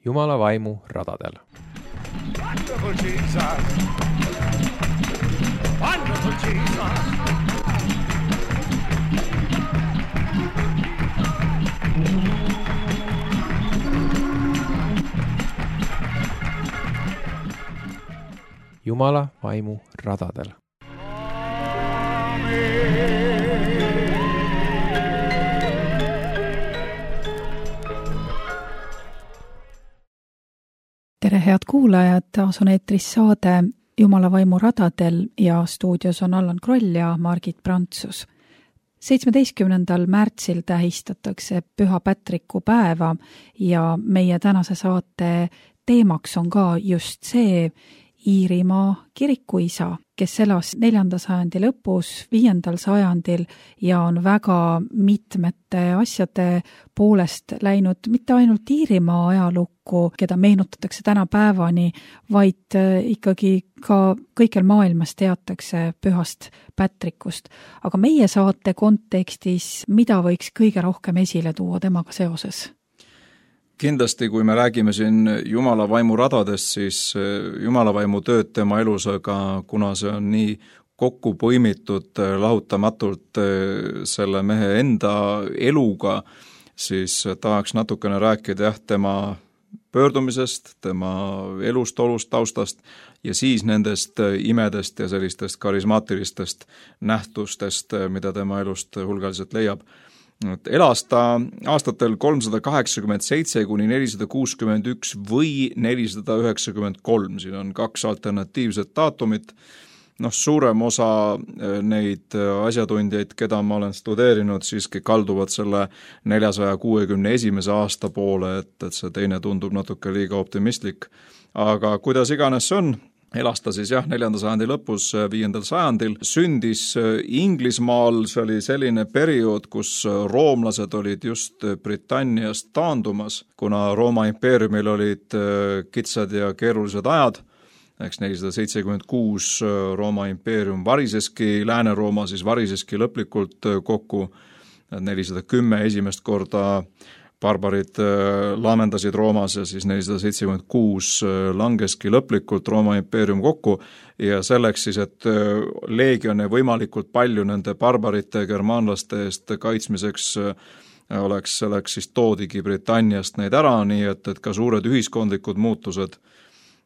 Jumala vaimu radadel. Wonderful Jesus! Wonderful Jesus! Jumala vaimu radadel. Tere head kuulajad, taas on eetris saade Jumala vaimu radadel ja stuudios on Allan Kroll ja Margit Prantsus. 17. märtsil tähistatakse Püha Patriku päeva ja meie tänase saate teemaks on ka just see Iirimaa kirikuisa, kes elas 4. sajandi lõpus, 5. sajandil ja on väga mitmete asjade poolest läinud mitte ainult Iirimaa ajalukku, keda meenutatakse tänapäevani, vaid ikkagi ka kõikjal maailmas teatakse Pühast Patrikust. Aga meie saate kontekstis, mida võiks kõige rohkem esile tuua temaga seoses? Kindlasti, kui me räägime siin Jumala vaimu radadest, siis Jumala vaimu tööd tema elus, aga kuna see on nii kokku põimitud lahutamatult selle mehe enda eluga, siis tahaks natukene rääkida tema pöördumisest, tema elust, olust, taustast ja siis nendest imedest ja sellistest karismaatilistest nähtustest, mida tema elust hulgaliselt leiab. Elas ta aastatel 387 kuni 461 või 493, siin on 2 alternatiivset daatumit. Suurem osa neid asjatundjaid, keda ma olen studeerinud, siiski kalduvad selle 461. aasta poole, et see teine tundub natuke liiga optimistlik. Aga kuidas iganes see on, elas ta siis 4. sajandi lõpus, 5. sajandil, sündis Inglismaal, see oli selline periood, kus roomlased olid just Britanniast taandumas, kuna Rooma impeeriumil olid kitsad ja keerulised ajad, 476 Rooma impeerium variseski, Lääne-Rooma siis variseski lõplikult kokku, 410 esimest korda barbarid laamendasid Roomas ja siis 476 langeski lõplikult Rooma impeerium kokku ja selleks siis, et leegione võimalikult palju nende barbarite germaanlaste eest kaitsmiseks selleks siis toodigi Britanniast neid ära, nii et ka suured ühiskondlikud muutused.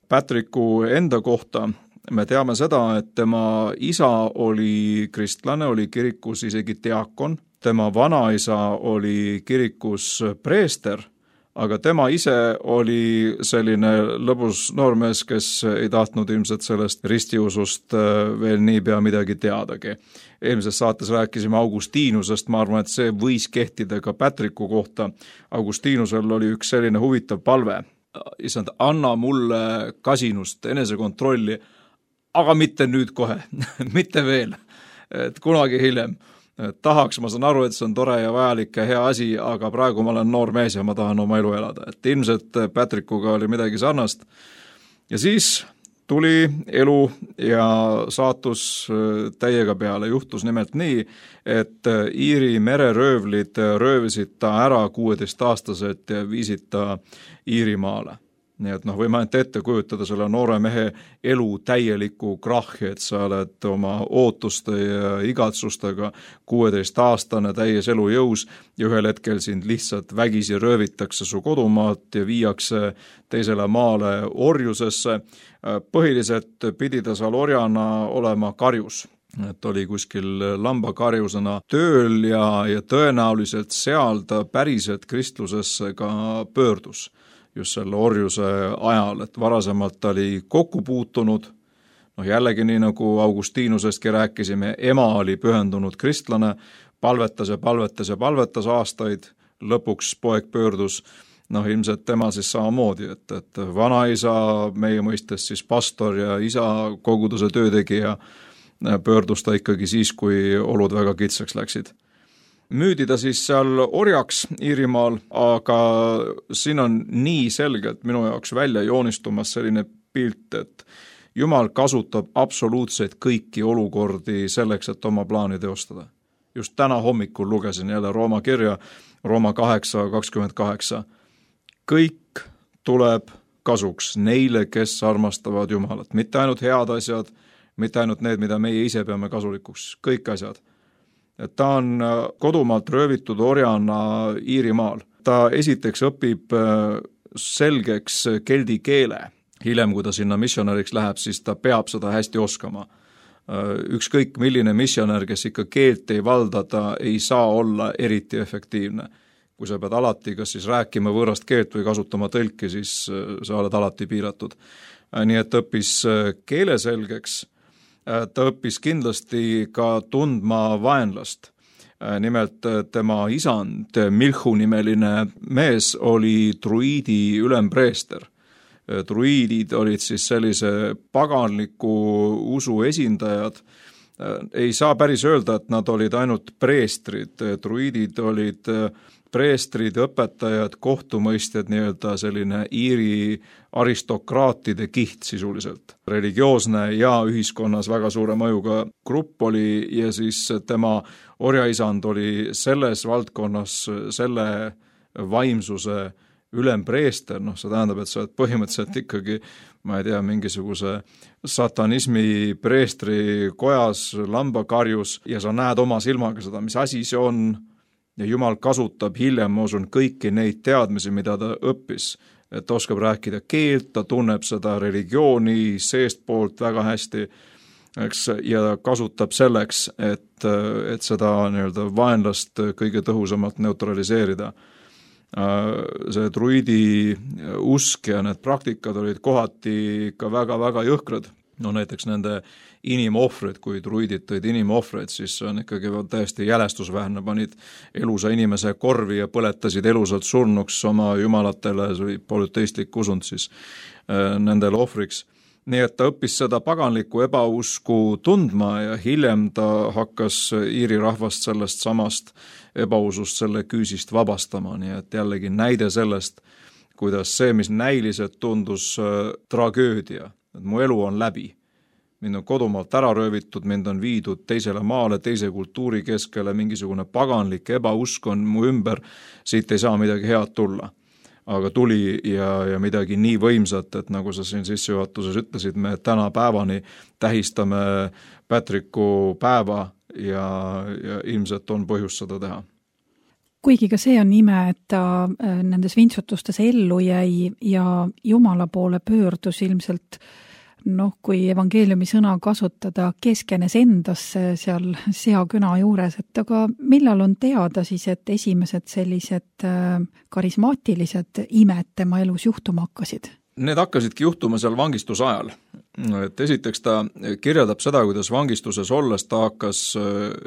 Patriku enda kohta me teame seda, et tema isa oli kristlane, oli kirikus isegi diakon. Tema vanaisa oli kirikus preester, aga tema ise oli selline lõbus noormees, kes ei tahtnud ilmselt sellest ristiusust veel niipea midagi teadagi. Eelmises saates rääkisime Augustiinusest, ma arvan, et see võis kehtida ka Patriku kohta. Augustiinusel oli üks selline huvitav palve. Issand, anna mulle kasinust, enesekontrolli, aga mitte nüüd kohe, mitte veel, et kunagi hiljem. Tahaks, ma saan aru, et see on tore ja vajalik ja hea asi, aga praegu ma olen noor mees ja ma tahan oma elu elada. Et ilmselt Patrikuga oli midagi sarnast. Ja siis tuli elu ja saatus täiega peale. Juhtus nimelt nii, et Iiri mereröövlid röövisid ta ära 16-aastaselt ja viisid ta Iirimaale. Nii et võime ainult ette kujutada selle noore mehe elu täieliku krahhi, et sa oled oma ootuste ja igatsustega 16-aastane täies elujõus ja ühel hetkel sind lihtsalt vägisi röövitakse su kodumaalt ja viiakse teisele maale orjusesse. Põhiliselt pidi ta seal orjana olema karjus. Et oli kuskil lambakarjusena tööl ja tõenäoliselt seal ta päriselt kristlusesse ka pöördus. Just selle orjuse ajal, et varasemalt ta oli kokku puutunud, jällegi nii nagu Augustiinusestki rääkisime, ema oli pühendunud kristlane, palvetas aastaid, lõpuks poeg pöördus, ilmselt tema siis samamoodi, et vanaisa, meie mõistes siis pastor ja isa koguduse töötegija, pöördus ta ikkagi siis, kui olud väga kitsaks läksid. Müüdi ta siis seal orjaks Iirimaal, aga siin on nii selgelt minu jaoks välja joonistumas selline pilt, et Jumal kasutab absoluutselt kõiki olukordi selleks, et oma plaani teostada. Just täna hommikul lugesin jälle Rooma kirja, Rooma 8:28. Kõik tuleb kasuks neile, kes armastavad Jumalat. Mitte ainult head asjad, mitte ainult need, mida meie ise peame kasulikuks, kõik asjad. Ta on kodumaalt röövitud orjana Iirimaal. Ta esiteks õpib selgeks keldi keele. Hiljem, kui ta sinna missionäriks läheb, siis ta peab seda hästi oskama. Ükskõik milline missionär, kes ikka keelt ei valda, ta ei saa olla eriti efektiivne. Kui sa pead alati kas siis rääkima võõrast keelt või kasutama tõlki, siis sa oled alati piiratud. Nii et õppis keele selgeks. Ta õppis kindlasti ka tundma vaenlast. Nimelt tema isand, Milhu nimeline mees, oli druiidi ülempreester. Druiidid olid siis sellise paganliku usu esindajad. Ei saa päris öelda, et nad olid ainult preestrid. Druiidid olid preestrid, õpetajad, kohtumõistjad, nii-öelda selline Iiri aristokraatide kiht sisuliselt. Religioosne ja ühiskonnas väga suure mõjuga grupp oli ja siis tema orjaisand oli selles valdkonnas selle vaimsuse ülempreester, see tähendab, et sa oled põhimõtteliselt ikkagi, ma ei tea, mingisuguse satanismi preestri kojas, lambakarjus ja sa näed oma silmaga seda, mis asi see on. Ja Jumal kasutab hiljem, ma usun, kõiki neid teadmisi, mida ta õppis, et oskab rääkida keelt, ta tunneb seda religiooni seestpoolt väga hästi, eks, ja kasutab selleks, et seda nii-öelda vaenlast kõige tõhusamalt neutraliseerida. See druidi usk ja need praktikad olid kohati ka väga-väga jõhkrad. Näiteks nende inimohvrid, kui druidid tõid inimohvreid, siis on ikkagi täiesti jälestusväärne, panid elusa inimese korvi ja põletasid elusalt surnuks oma jumalatele, see oli polüteistlik usund siis nendele ohvriks. Nii et ta õppis seda paganlikku ebausku tundma ja hiljem ta hakkas Iiri rahvast sellest samast ebausust selle küüsist vabastama, nii et jällegi näide sellest, kuidas see, mis näiliselt tundus tragöödia, et mu elu on läbi. Mind on kodumaalt ära röövitud, mind on viidud teisele maale, teise kultuuri keskele, mingisugune paganlik ebausk on mu ümber, siit ei saa midagi head tulla. Aga tuli ja midagi nii võimsat, et nagu sa siin sissejuhatuses ütlesid, me täna päevani tähistame Patricku päeva ja ilmselt on põhjust seda teha. Kuigi ka see on ime, et ta nendes vintsutustes ellu jäi ja Jumala poole pöördus ilmselt, kui evangeeliumi sõna kasutada, keskenes endasse seal seaküna juures, et aga millal on teada siis, et esimesed sellised karismaatilised imed tema elus juhtuma hakkasid? Need hakkasidki juhtuma seal vangistuse ajal. Et esiteks ta kirjeldab seda, kuidas vangistuses olles ta hakkas,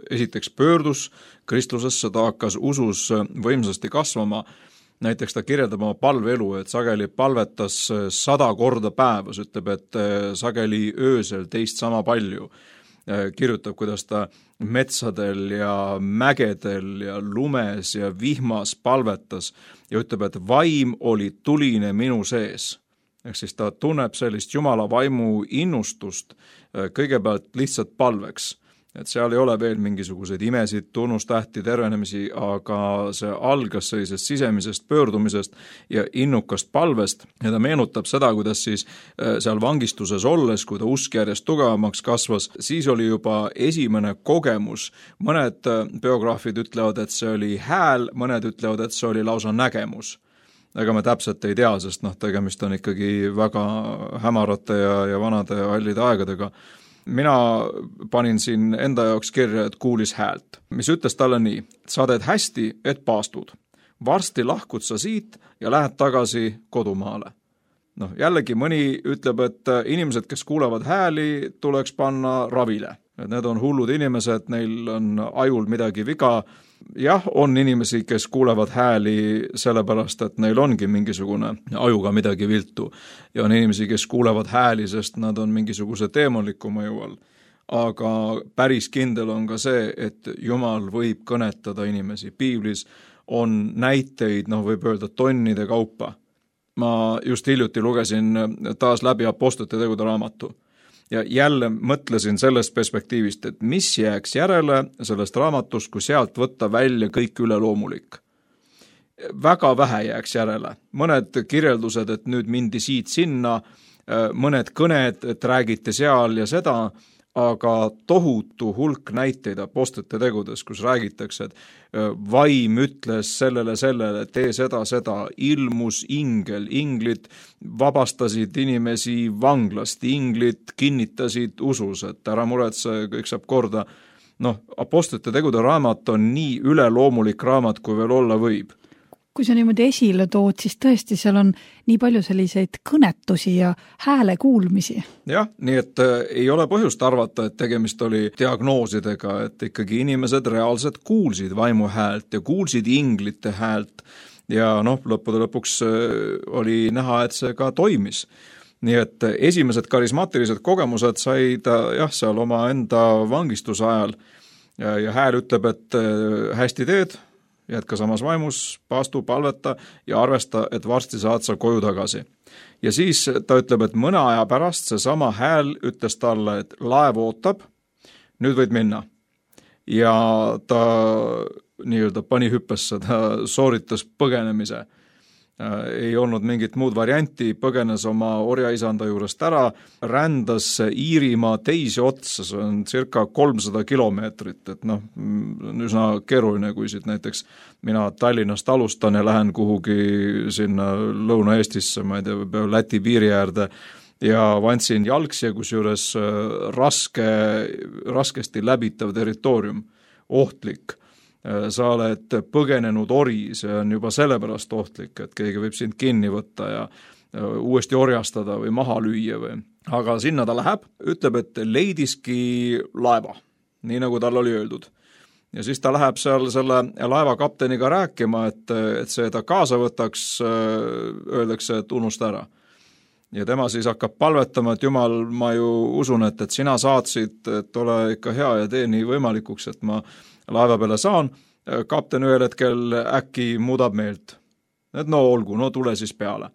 esiteks pöördus kristlusesse, ta hakkas usus võimsasti kasvama. Näiteks ta kirjeldab oma palveelu, et sageli palvetas 100 korda päevas, ütleb, et sageli öösel teist sama palju. Kirjutab, kuidas ta metsadel ja mägedel ja lumes ja vihmas palvetas ja ütleb, et vaim oli tuline minu sees. Ehk siis ta tunneb sellist Jumala vaimu innustust kõigepealt lihtsalt palveks. Et seal ei ole veel mingisuguseid imesid, tunnustähti, tervenemisi, aga see algas sellisest sisemisest pöördumisest ja innukast palvest ja ta meenutab seda, kuidas siis seal vangistuses olles, kui ta usk järjest tugevamaks kasvas, siis oli juba esimene kogemus. Mõned biograafid ütlevad, et see oli hääl, mõned ütlevad, et see oli lausa nägemus. Ega me täpselt ei tea, sest tegemist on ikkagi väga hämarate ja vanade ja hallide aegadega. Mina panin siin enda jaoks kirja, et kuulis häält, mis ütles talle nii, sa teed hästi, et paastud. Varsti lahkud sa siit ja lähed tagasi kodumaale. Jällegi mõni ütleb, et inimesed, kes kuulevad hääli, tuleks panna ravile. Need on hullud inimesed, neil on ajul midagi viga. Jah, on inimesi, kes kuulevad hääli sellepärast, et neil ongi mingisugune ajuga midagi viltu. Ja on inimesi, kes kuulevad hääli, sest nad on mingisuguse teemaliku mõju all. Aga päris kindel on ka see, et Jumal võib kõnetada inimesi. Piiblis on näiteid, võib öelda tonnide kaupa. Ma just hiljuti lugesin taas läbi Apostlite tegude raamatu. Ja jälle mõtlesin sellest perspektiivist, et mis jääks järele sellest raamatust, kui sealt võtta välja kõik üleloomulik. väga vähe jääks järele. Mõned kirjeldused, et nüüd mindi siit sinna, mõned kõned, et räägiti seal ja seda, aga tohutu hulk näiteid apostlite tegudes, kus räägitakse, et vaim ütles sellele, tee seda, ilmus ingel, inglid vabastasid inimesi vanglast, inglid kinnitasid usus, et ära muretse, kõik saab korda. Apostlite tegude raamat on nii üleloomulik raamat, kui veel olla võib. Kui sa niimoodi esile tood, siis tõesti seal on nii palju selliseid kõnetusi ja hääle kuulmisi. Jah, nii et ei ole põhjust arvata, et tegemist oli diagnoosidega, et ikkagi inimesed reaalselt kuulsid vaimu häält ja kuulsid inglite häält ja lõppude lõpuks oli näha, et see ka toimis. Nii et esimesed karismaatilised kogemused said seal oma enda vangistuse ajal ja hääl ütleb, et hästi teed, jätka samas vaimus, paastu, palveta ja arvesta, et varsti saad sa koju tagasi. Ja siis ta ütleb, et mõne aja pärast see sama hääl ütles talle, et laev ootab, nüüd võid minna. Ja ta nii-öelda pani hüppesse, ta sooritas põgenemise. Ei olnud mingit muud varianti, põgenes oma orjaisanda juurest ära, rändas Iirimaa teisi otsa, see on circa 300 kilomeetrit, et üsna keeruline, kui siit näiteks mina Tallinnast alustan ja lähen kuhugi sinna Lõuna-Eestisse, ma ei tea, Läti piiri äärde ja vantsin jalgsi, kusjuures raskesti läbitav territoorium, ohtlik. Sa oled põgenenud ori, see on juba sellepärast ohtlik, et keegi võib sind kinni võtta ja uuesti orjastada või maha lüüa või. Aga sinna ta läheb, ütleb, et leidiski laeva, nii nagu tal oli öeldud. Ja siis ta läheb seal selle laeva kapteniga rääkima, et see ta kaasa võtaks, öeldakse, et unusta ära. Ja tema siis hakkab palvetama, et Jumal, ma ju usun, et sina saatsid, et ole ikka hea ja tee nii võimalikuks, et ma laeva peale saan, kapten ühel hetkel äkki muudab meelt. Et olgu, tule siis peale.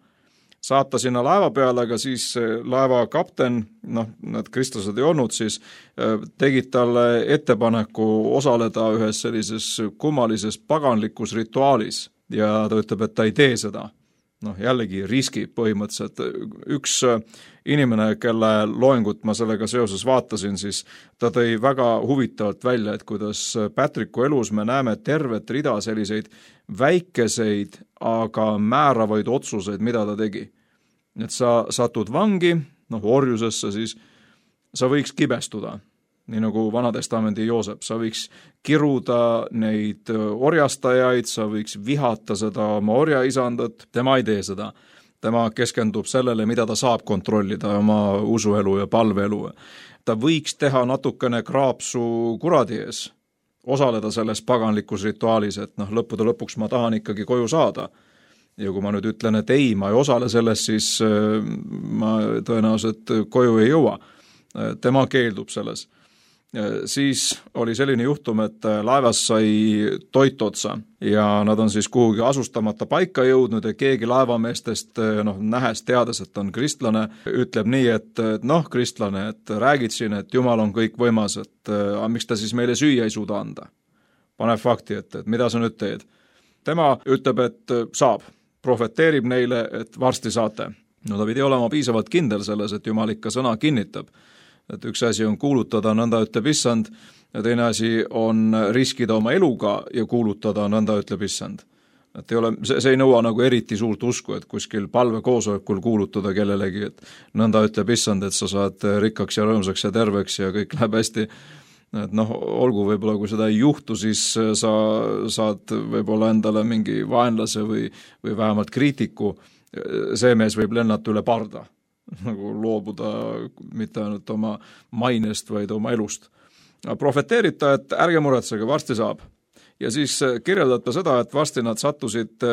Saata sinna laeva peale, aga siis laeva kapten, need kristlased ei olnud, siis tegid talle ettepaneku osaleda ühes sellises kummalises paganlikus rituaalis ja ta ütleb, et ta ei tee seda. Jällegi riski põhimõtteliselt. Üks inimene, kelle loengut ma sellega seoses vaatasin, siis ta tõi väga huvitavalt välja, et kuidas Patricku elus me näeme tervet rida selliseid väikeseid, aga määravaid otsuseid, mida ta tegi. Et sa satud vangi, orjusesse, siis sa võiks kibestuda. Nii nagu Vanatestamendi Joosep, sa võiks kiruda neid orjastajaid, sa võiks vihata seda oma orjaisandat, tema ei tee seda. Tema keskendub sellele, mida ta saab kontrollida, oma usuelu ja palveelu. Ta võiks teha natukene kraapsu kuradi ees, osaleda selles paganlikus rituaalis, et lõppude lõpuks ma tahan ikkagi koju saada. Ja kui ma nüüd ütlen, et ei, ma ei osale selles, siis ma tõenäoliselt koju ei jõua. Tema keeldub selles. Siis oli selline juhtum, et laevas sai toit otsa ja nad on siis kuhugi asustamata paika jõudnud ja keegi laevameestest, nähes teades, et on kristlane, ütleb nii, et kristlane, et räägid siin, et Jumal on kõik võimas, et miks ta siis meile süüa ei suuda anda. Paneb fakti, et mida sa nüüd teed. Tema ütleb, et saab, profeteerib neile, et varsti saate. Ta pidi olema piisavalt kindel selles, et Jumal ikka sõna kinnitab. Et üks asi on kuulutada, nõnda ütleb issand, ja teine asi on riskida oma eluga ja kuulutada, nõnda ütleb issand. Et see ei nõua nagu eriti suurt usku, et kuskil palvekoosolekul kuulutada kellelegi, et nõnda ütleb issand, et sa saad rikkaks ja rõõmsaks ja terveks ja kõik läheb hästi. Et olgu võib-olla, kui seda ei juhtu, siis sa saad võib-olla endale mingi vaenlase või vähemalt kriitiku. See mees võib lennata üle parda. Nagu loobuda mitte ainult oma mainest, vaid oma elust. Profeteerib ta, et ärge muretsege, varsti saab. Ja siis kirjeldab ta seda, et varsti nad sattusid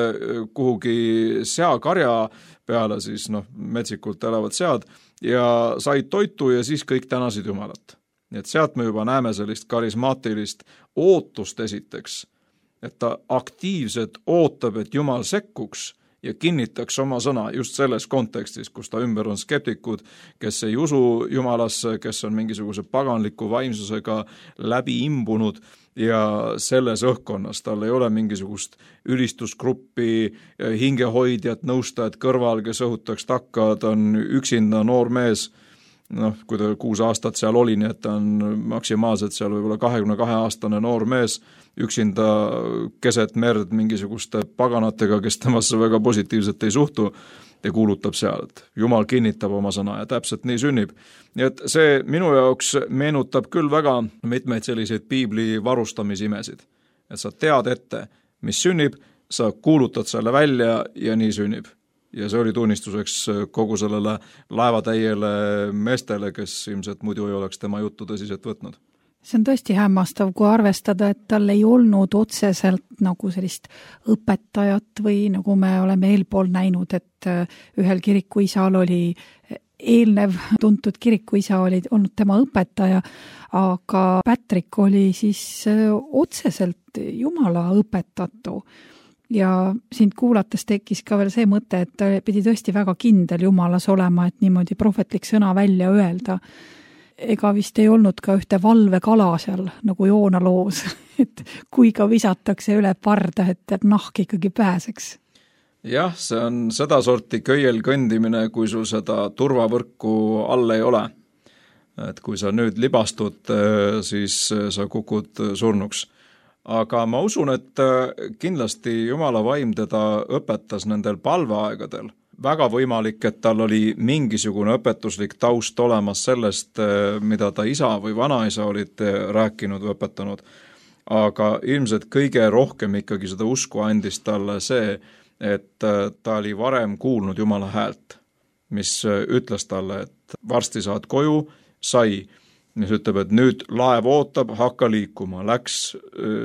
kuhugi seakarja peale, siis metsikult elavad sead, ja said toitu ja siis kõik tänasid Jumalat. Nii et sealt me juba näeme sellist karismaatilist ootust esiteks, et ta aktiivselt ootab, et Jumal sekkuks ja kinnitaks oma sõna just selles kontekstis, kus ta ümber on skeptikud, kes ei usu Jumalasse, kes on mingisuguse paganliku vaimsusega läbi imbunud ja selles õhkkonnas tal ei ole mingisugust ülistusgruppi, hingehoidjat, nõustajat kõrval, kes õhutaks takka, ta on üksinda noor mees, kui ta 6 aastat seal oli, nii et ta on maksimaalselt seal võib-olla 22-aastane noor mees, üksinda keset merd mingisuguste paganatega, kes temasse väga positiivselt ei suhtu ja kuulutab seal, et Jumal kinnitab oma sõna ja täpselt nii sünnib. Nii et see minu jaoks meenutab küll väga mitmeid selliseid piibli varustamisimesid. Et sa tead ette, mis sünnib, sa kuulutad selle välja ja nii sünnib. Ja see oli tunnistuseks kogu sellele laevatäiele meestele, kes ilmselt muidu ei oleks tema juttu tõsiselt võtnud. See on tõesti hämmastav, kui arvestada, et tal ei olnud otseselt nagu sellist õpetajat või nagu me oleme eelpool näinud, et ühel kirikuisal oli eelnev tuntud kirikuisa oli olnud tema õpetaja, aga Patrick oli siis otseselt Jumala õpetatu. Ja sind kuulates tekkis ka veel see mõte, et ta pidi tõesti väga kindel Jumalas olema, et niimoodi prohvetlik sõna välja öelda. Ega vist ei olnud ka ühte valvekala seal nagu Joona loos, et kui ka visatakse üle parda, et nahk ikkagi pääseks. Jah, see on seda sorti köiel kõndimine, kui sul seda turvavõrku all ei ole. Et kui sa nüüd libastud, siis sa kukud surnuks. Aga ma usun, et kindlasti Jumala vaim teda õpetas nendel palveaegadel. Väga võimalik, et tal oli mingisugune õpetuslik taust olemas sellest, mida ta isa või vanaisa olid rääkinud või õpetanud. Aga ilmselt kõige rohkem ikkagi seda usku andis talle see, et ta oli varem kuulnud Jumala häält, mis ütles talle, et varsti saad koju, sai, mis ütleb, et nüüd laev ootab, hakka liikuma, läks,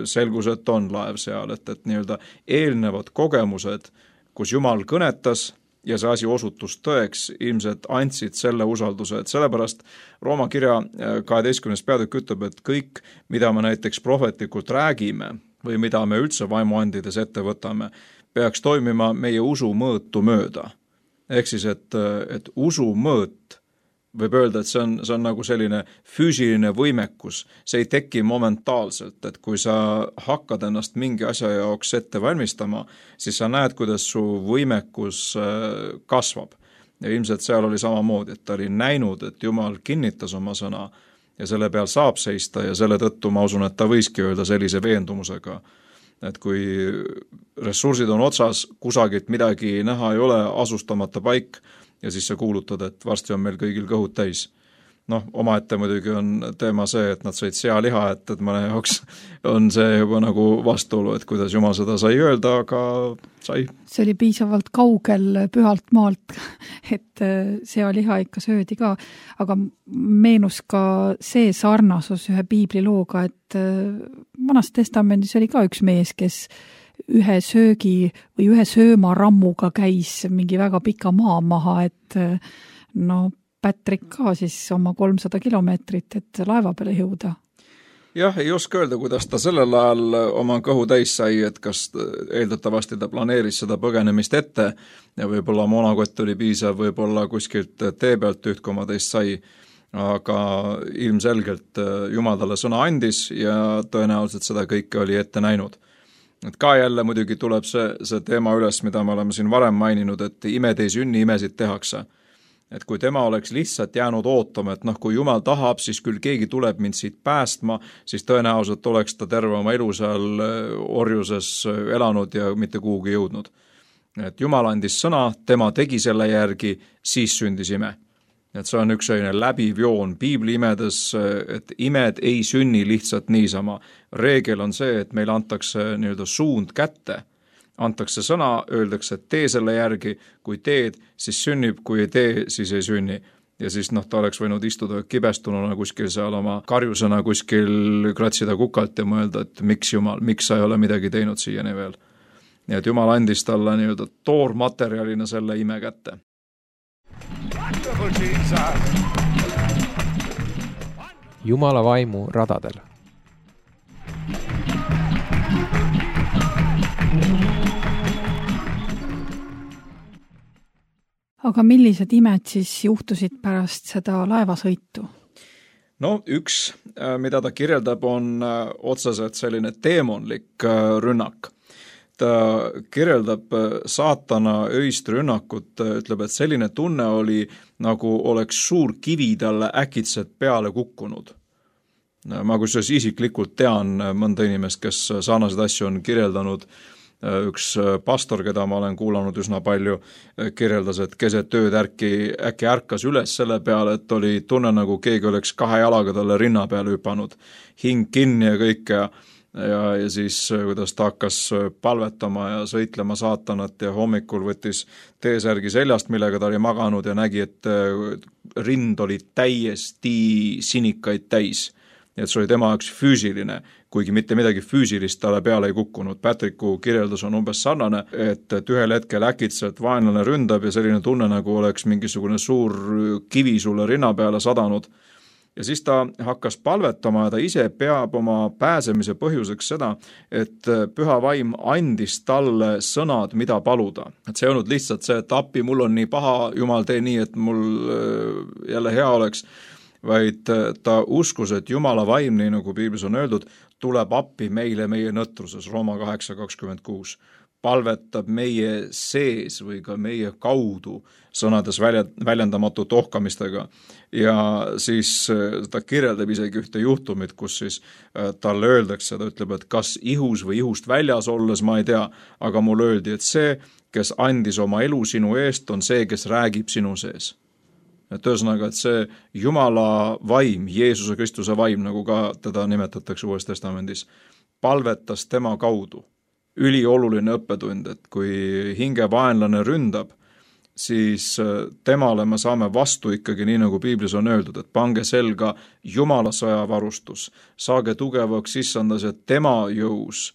selgus, et on laev seal, et nii-öelda eelnevad kogemused, kus Jumal kõnetas ja see asi osutus tõeks, ilmselt andsid selle usalduse, et sellepärast Rooma kirja 12. peatükk ütleb, et kõik, mida me näiteks prohvetlikult räägime või mida me üldse vaimuandides ette võtame, peaks toimima meie usu mõõtu mööda. Ehk siis, et usu mõõt võib öelda, et see on nagu selline füüsiline võimekus, see ei teki momentaalselt, et kui sa hakkad ennast mingi asja jaoks ette valmistama, siis sa näed, kuidas su võimekus kasvab. Ja ilmselt seal oli samamoodi, et ta oli näinud, et Jumal kinnitas oma sõna ja selle peal saab seista ja selle tõttu ma usun, et ta võiski öelda sellise veendumusega, et kui ressursid on otsas, kusagilt midagi näha ei ole, asustamata paik, ja siis sa kuulutad, et varsti on meil kõigil kõhud täis. Omaette muidugi on teema see, et nad said sealiha, et mõne jaoks on see juba nagu vastuolu, et kuidas Jumal seda sai öelda, aga sai. See oli piisavalt kaugel pühalt maalt, et sealiha ikka söödi ka, aga meenus ka see sarnasus ühe piiblilooga, et Vanas testamendis oli ka üks mees, kes ühe söögi või ühe söömarammuga käis mingi väga pika maa maha, et Patrick ka siis oma 300 kilomeetrit, et laeva peale jõuda. Jah, ei oska öelda, kuidas ta sellel ajal oma kõhu täis sai, et kas eeldatavasti ta planeeris seda põgenemist ette ja võib-olla moonakott oli piisav, võib-olla kuskilt tee pealt üht koma teist sai, aga ilmselgelt Jumal talle sõna andis ja tõenäoliselt seda kõike oli ette näinud. Et ka jälle muidugi tuleb see teema üles, mida me oleme siin varem maininud, et imed ei sünni, imesid tehakse. Et kui tema oleks lihtsalt jäänud ootama, et kui Jumal tahab, siis küll keegi tuleb mind siit päästma, siis tõenäoliselt oleks ta terve oma elu seal orjuses elanud ja mitte kuhugi jõudnud. Et Jumal andis sõna, tema tegi selle järgi, siis sündis ime. Et see on üks selline läbiv joon piibli imedes, et imed ei sünni lihtsalt niisama. Reegel on see, et meil antakse nii-öelda suund kätte, antakse sõna, öeldakse, et tee selle järgi, kui teed, siis sünnib, kui ei tee, siis ei sünni. Ja siis ta oleks võinud istuda kibestununa kuskil seal oma karjusena kuskil kratsida kukalt ja mõelda, et miks Jumal, miks sa ei ole midagi teinud siiani veel. Nii et Jumal andis talle nii-öelda toormaterjalina selle ime kätte. Jumala vaimu radadel. Aga millised imed siis juhtusid pärast seda laevasõitu? No üks, mida ta kirjeldab, on otseselt selline teemonlik rünnak. Ta kirjeldab saatana öist rünnakut, ütleb, et selline tunne oli, nagu oleks suur kivi talle äkitselt peale kukkunud. Ma kusjuures isiklikult tean mõnda inimest, kes sarnaseid asju on kirjeldanud. Üks pastor, keda ma olen kuulanud üsna palju, kirjeldas, et keset ööd äkki ärkas üles selle peale, et oli tunne, nagu keegi oleks 2 jalaga talle rinna peale hüpanud, hing kinni ja kõik ja siis kuidas ta hakkas palvetama ja sõitlema saatanat ja hommikul võttis T-särgi seljast, millega ta oli maganud ja nägi, et rind oli täiesti sinikaid täis. Et see oli tema jaoks füüsiline, kuigi mitte midagi füüsilist talle peale ei kukkunud. Patricku kirjeldus on umbes sarnane, et ühel hetkel äkitselt vaenlane ründab ja selline tunne, nagu oleks mingisugune suur kivi sulle rinna peale sadanud. Ja siis ta hakkas palvetama ja ta ise peab oma pääsemise põhjuseks seda, et püha vaim andis talle sõnad, mida paluda. Et see ei olnud lihtsalt see, et appi, mul on nii paha, Jumal, tee nii, et mul jälle hea oleks, vaid ta uskus, et Jumala vaim, nii nagu Piiblis on öeldud, tuleb appi meile meie nõtruses, Rooma 8:26, palvetab meie sees või ka meie kaudu sõnades väljendamatut ohkamistega. Ja siis ta kirjeldab isegi ühte juhtumit, kus siis talle öeldakse, ta ütleb, et kas ihus või ihust väljas olles, ma ei tea, aga mul öeldi, et see, kes andis oma elu sinu eest, on see, kes räägib sinu sees. Et ühesõnaga, et see Jumala vaim, Jeesuse Kristuse vaim, nagu ka teda nimetatakse Uues Testamendis, palvetas tema kaudu. Ülioluline õppetund, et kui hingevaenlane ründab, siis temale me saame vastu ikkagi nii, nagu Piiblis on öeldud, et pange selga Jumala sõjavarustus, saage tugevaks issandas ja tema jõus,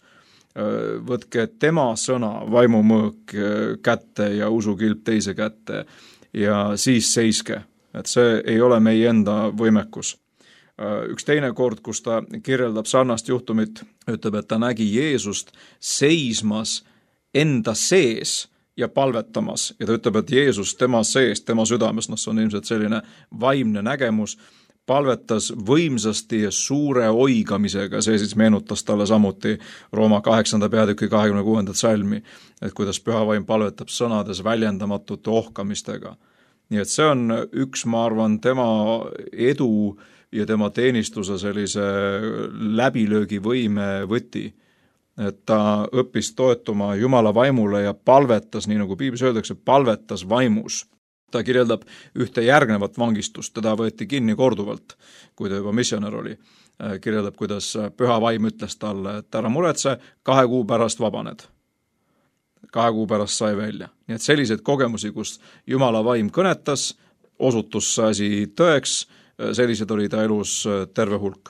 võtke tema sõna, vaimumõõk kätte ja usukilp teise kätte, ja siis seiske, et see ei ole meie enda võimekus. Üks teine kord, kus ta kirjeldab sarnast juhtumit, ütleb, et ta nägi Jeesust seismas enda sees ja palvetamas. Ja ta ütleb, et Jeesus tema sees, tema südames, see on ilmselt selline vaimne nägemus, palvetas võimsasti ja suure oigamisega, see siis meenutas talle samuti Rooma 8. peatüki 26. salmi, et kuidas pühavaim palvetab sõnades väljendamatute ohkamistega. Nii et see on üks, ma arvan, tema edu ja tema teenistuse sellise läbilöögivõime võti, et ta õppis toetuma Jumala vaimule ja palvetas, nii nagu Piiblis öeldakse, palvetas vaimus. Ta kirjeldab ühte järgnevat vangistust, teda võeti kinni korduvalt, kui ta juba missionär oli. Kirjeldab, kuidas püha vaim ütles talle, et ära muretse, 2 kuu pärast vabaned. 2 kuu pärast sai välja. Nii et selliseid kogemusi, kus Jumala vaim kõnetas, osutus asi tõeks, sellised oli ta elus terve hulk.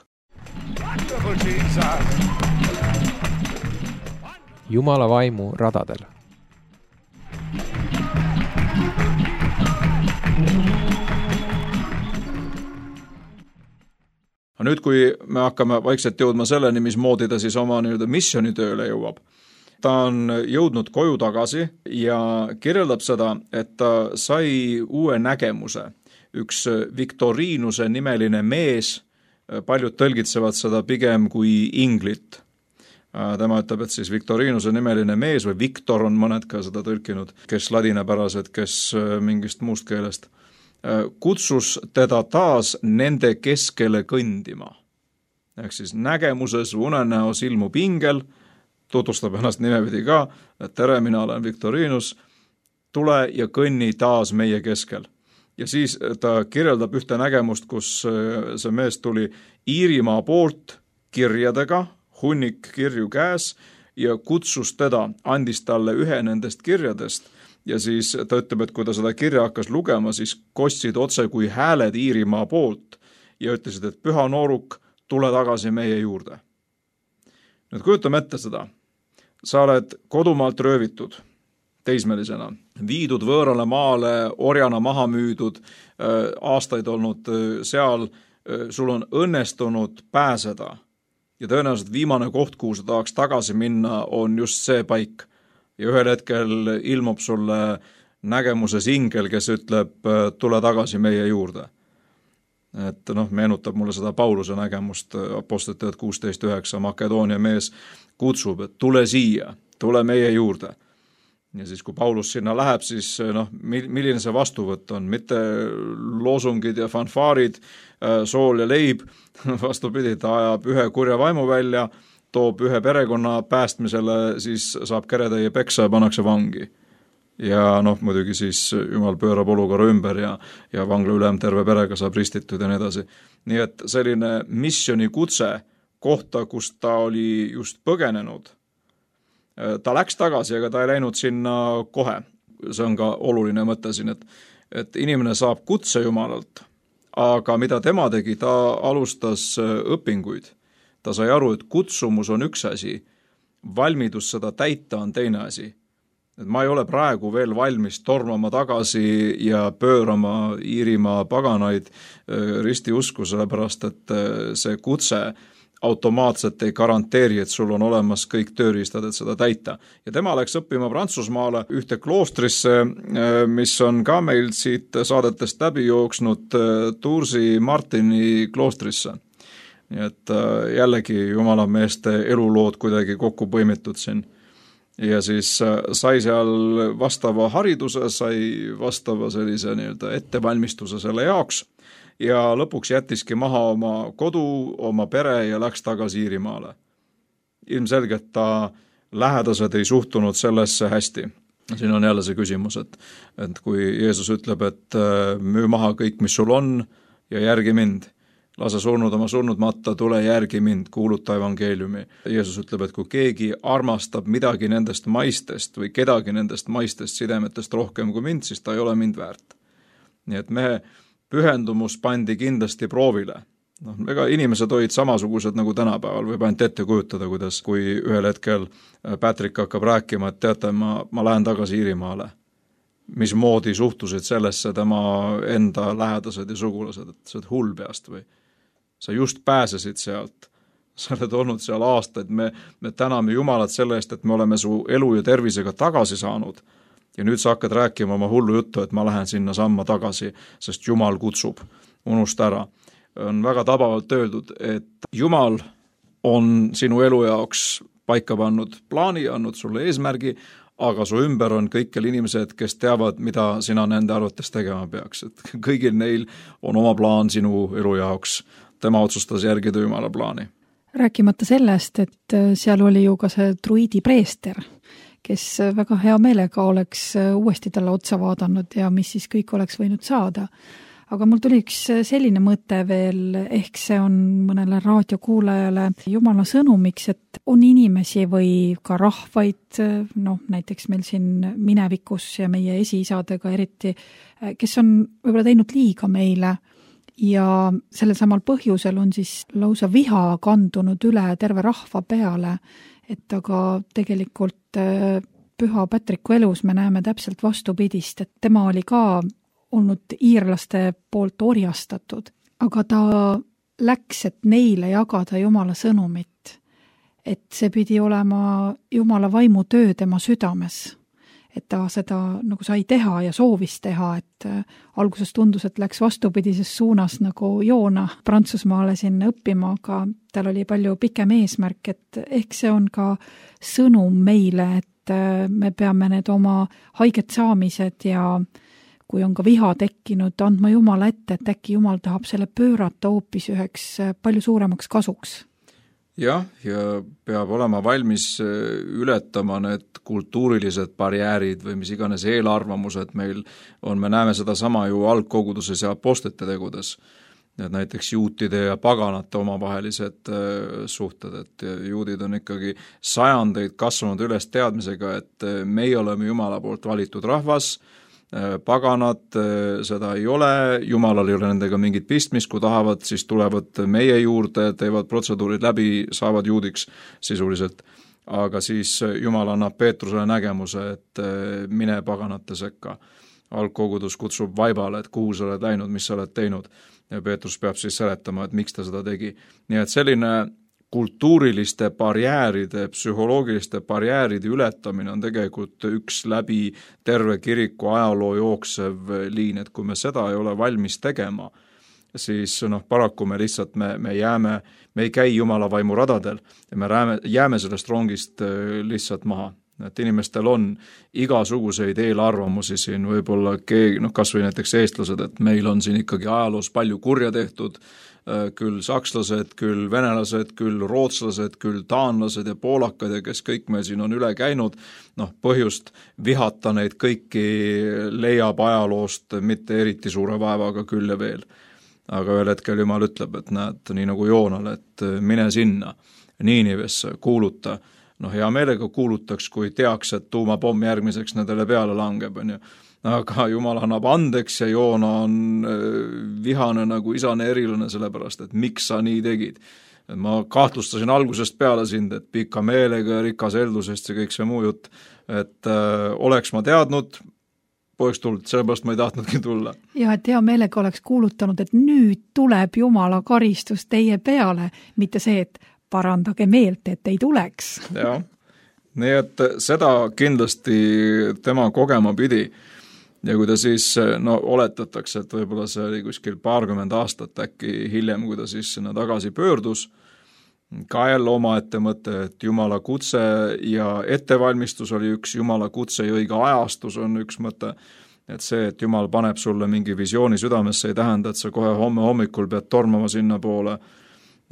Jumala vaimu radadel. Nüüd, kui me hakkame vaikselt jõudma selleni, mismoodi ta siis oma missionitööle jõuab, ta on jõudnud koju tagasi ja kirjeldab seda, et ta sai uue nägemuse. Üks Victorinuse nimeline mees, paljud tõlgitsevad seda pigem kui inglit. Tema ütleb, et siis Victorinuse nimeline mees või Victor on mõned ka seda tõlkinud, kes ladinapärased, kes mingist muust keelest, kutsus teda taas nende keskele kõndima. Ehk siis nägemuses unenäos ilmub ingel, tutvustab ennast nimepidi ka, et tere, mina olen Victorinus, tule ja kõnni taas meie keskel. Ja siis ta kirjeldab ühte nägemust, kus see mees tuli Iirimaa poolt kirjadega, hunnik kirju käes ja kutsus teda, andis talle ühe nendest kirjadest. Ja siis ta ütleb, et kui ta seda kirja hakkas lugema, siis kostsid otse kui hääled Iirimaa poolt ja ütlesid, et püha nooruk, tule tagasi meie juurde. Nüüd kujutame ette seda. Sa oled kodumaalt röövitud teismelisena, viidud võõrale maale, orjana maha müüdud, aastaid olnud seal, sul on õnnestunud pääseda ja tõenäoliselt viimane koht, kuhu sa tahaks tagasi minna, on just see paik. Ja ühel hetkel ilmub sulle nägemuses ingel, kes ütleb, tule tagasi meie juurde. Et meenutab mulle seda Pauluse nägemust Apostlite 16:9, Makedoonia mees kutsub, et tule siia, tule meie juurde. Ja siis, kui Paulus sinna läheb, siis milline see vastuvõtt on? Mitte loosungid ja fanfaarid, sool ja leib, vastupidi, ta ajab ühe kurja vaimu välja, toob ühe perekonna päästmisele, siis saab keretäie peksa ja pannakse vangi. Ja muidugi siis Jumal pöörab olukorra ümber ja vangla ülem terve perega saab ristitud ja nii edasi. Nii et selline missiooni kutse kohta, kus ta oli just põgenenud, ta läks tagasi, aga ta ei läinud sinna kohe. See on ka oluline mõte siin, et inimene saab kutse Jumalalt, aga mida tema tegi, ta alustas õpinguid. Ta sai aru, et kutsumus on üks asi, valmidus seda täita on teine asi. Et ma ei ole praegu veel valmis tormama tagasi ja pöörama Iirimaa paganaid ristiusku, sellepärast et see kutse automaatselt ei garanteeri, et sul on olemas kõik tööriistad, et seda täita. Ja tema läks õppima Prantsusmaale ühte kloostrisse, mis on ka meil siit saadetest läbi jooksnud, Toursi Martini kloostrisse. Nii et jällegi Jumala meeste elulood kuidagi kokku põimitud siin. Ja siis sai seal vastava hariduse, sai vastava sellise ettevalmistuse selle jaoks ja lõpuks jättiski maha oma kodu, oma pere ja läks tagasi Iirimaale. Ilmselgelt ta lähedased ei suhtunud sellesse hästi. Siin on jälle see küsimus, et kui Jeesus ütleb, et müü maha kõik, mis sul on ja järgi mind, lase surnud oma surnud matta, tule järgi mind, kuuluta evangeeliumi. Jeesus ütleb, et kui keegi armastab midagi nendest maistest või kedagi nendest maistest sidemetest rohkem kui mind, siis ta ei ole mind väärt. Nii et mehe pühendumus pandi kindlasti proovile. Ega inimesed olid samasugused nagu tänapäeval, võib ainult ette kujutada, kuidas kui ühel hetkel Patrick hakkab rääkima, et teate, ma lähen tagasi Iirimaale. Mismoodi suhtusid sellesse tema enda lähedased ja sugulased, et sa oled hull peast või sa just pääsesid sealt, sa oled olnud seal aastaid, me täname Jumalat selle eest, et me oleme su elu ja tervisega tagasi saanud ja nüüd sa hakkad rääkima oma hullu juttu, et ma lähen sinna samma tagasi, sest Jumal kutsub, unusta ära. On väga tabavalt öeldud, et Jumal on sinu elu jaoks paika pannud plaani, andnud sulle eesmärgi, aga su ümber on kõikjal inimesed, kes teavad, mida sina nende arvates tegema peaks. Et kõigil neil on oma plaan sinu elu jaoks. Tema otsustas järgida Jumala plaani. Rääkimata sellest, et seal oli ju ka see druidi preester, kes väga hea meelega oleks uuesti talle otsa vaadanud ja mis siis kõik oleks võinud saada. Aga mul tuli üks selline mõte veel, ehk see on mõnele raadiokuulajale Jumala sõnumiks, et on inimesi või ka rahvaid, näiteks meil siin minevikus ja meie esiisadega eriti, kes on võib-olla teinud liiga meile ja sellel samal põhjusel on siis lausa viha kandunud üle terve rahva peale, et aga tegelikult Püha Patricku elus me näeme täpselt vastupidist, et tema oli ka olnud iirlaste poolt orjastatud, aga ta läks, et neile jagada Jumala sõnumit, et see pidi olema Jumala vaimu töö tema südames, et ta seda nagu sai teha ja soovis teha, et alguses tundus, et läks vastupidises suunas nagu Joona Prantsusmaale sinna õppima, aga tal oli palju pikem eesmärk, et ehk see on ka sõnum meile, et me peame need oma haiget saamised ja kui on ka viha tekkinud, andma Jumala ette, et äkki Jumal tahab selle pöörata hoopis üheks palju suuremaks kasuks. Jah, ja peab olema valmis ületama need kultuurilised barjäärid või mis iganes eelarvamused meil on. Me näeme seda sama ju algkoguduses ja apostlite tegudes. Näiteks juutide ja paganate omavahelised suhted, et juudid on ikkagi sajandeid kasvanud üles teadmisega, et meie oleme Jumala poolt valitud rahvas, paganad seda ei ole, Jumalal ei ole nendega mingit pistmist, kui tahavad, siis tulevad meie juurde, teevad protseduurid läbi, saavad juudiks sisuliselt. Aga siis Jumal annab Peetrusele nägemuse, et mine paganate sekka. Algkogudus kutsub vaibale, et kuhu sa oled läinud, mis sa oled teinud. Ja Peetrus peab siis seletama, et miks ta seda tegi. Nii et selline kultuuriliste barjääride, psühholoogiliste barjääride ületamine on tegelikult üks läbi terve kiriku ajaloo jooksev liin, et kui me seda ei ole valmis tegema, siis paraku me lihtsalt, me ei käi Jumala vaimu radadel ja me jääme sellest rongist lihtsalt maha. Et inimestel on igasuguseid eelarvamusi siin, võib-olla kas või näiteks eestlased, et meil on siin ikkagi ajaloos palju kurja tehtud, küll sakslased, küll venelased, küll rootslased, küll taanlased ja poolakad ja kes kõik meil siin on üle käinud, põhjust vihata neid kõiki leiab ajaloost mitte eriti suure vaevaga küll ja veel. Aga ühel hetkel Jumal ütleb, et näed, nii nagu Joonale, et mine sinna, Niinivesse, kuuluta. Hea meelega kuulutaks, kui teaks, et tuumapomm järgmiseks nendele peale langeb, on ju. Aga Jumal annab andeks ja Joona on vihane nagu isane erilane sellepärast, et miks sa nii tegid. Ma kahtlustasin algusest peale sind, et pika meelega ja rikas eldusest ja kõik see muu jutt, et oleks ma teadnud, poleks tulnud, sellepärast ma ei tahtnudki tulla. Ja, et hea meelega oleks kuulutanud, et nüüd tuleb Jumala karistus teie peale, mitte see, et parandage meelt, et ei tuleks. Jah, nii et seda kindlasti tema kogema pidi. Ja kui ta siis, oletatakse, et võib-olla see oli kuskil 20 aastat äkki hiljem, kui ta siis sinna tagasi pöördus, ka jälle oma mõte, et Jumala kutse ja ettevalmistus oli üks, Jumala kutse ja õige ajastus on üks mõte, et see, et Jumal paneb sulle mingi visiooni südamesse, ei tähenda, et sa kohe homme hommikul pead tormama sinna poole,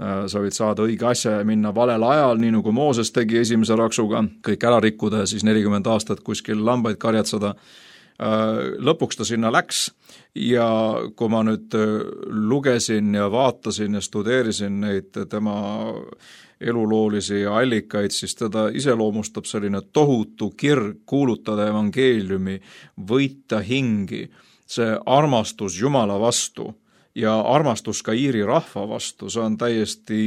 sa võid saada õige asja ja minna valel ajal, nii nagu Mooses tegi esimese raksuga, kõik ära rikkuda ja siis 40 aastat kuskil lambaid karjatseda. Lõpuks ta sinna läks ja kui ma nüüd lugesin ja vaatasin ja studeerisin neid tema eluloolisi allikaid, siis teda iseloomustab selline tohutu kirg kuulutada evangeeliumi, võita hingi, see armastus Jumala vastu ja armastus ka Iiri rahva vastu, see on täiesti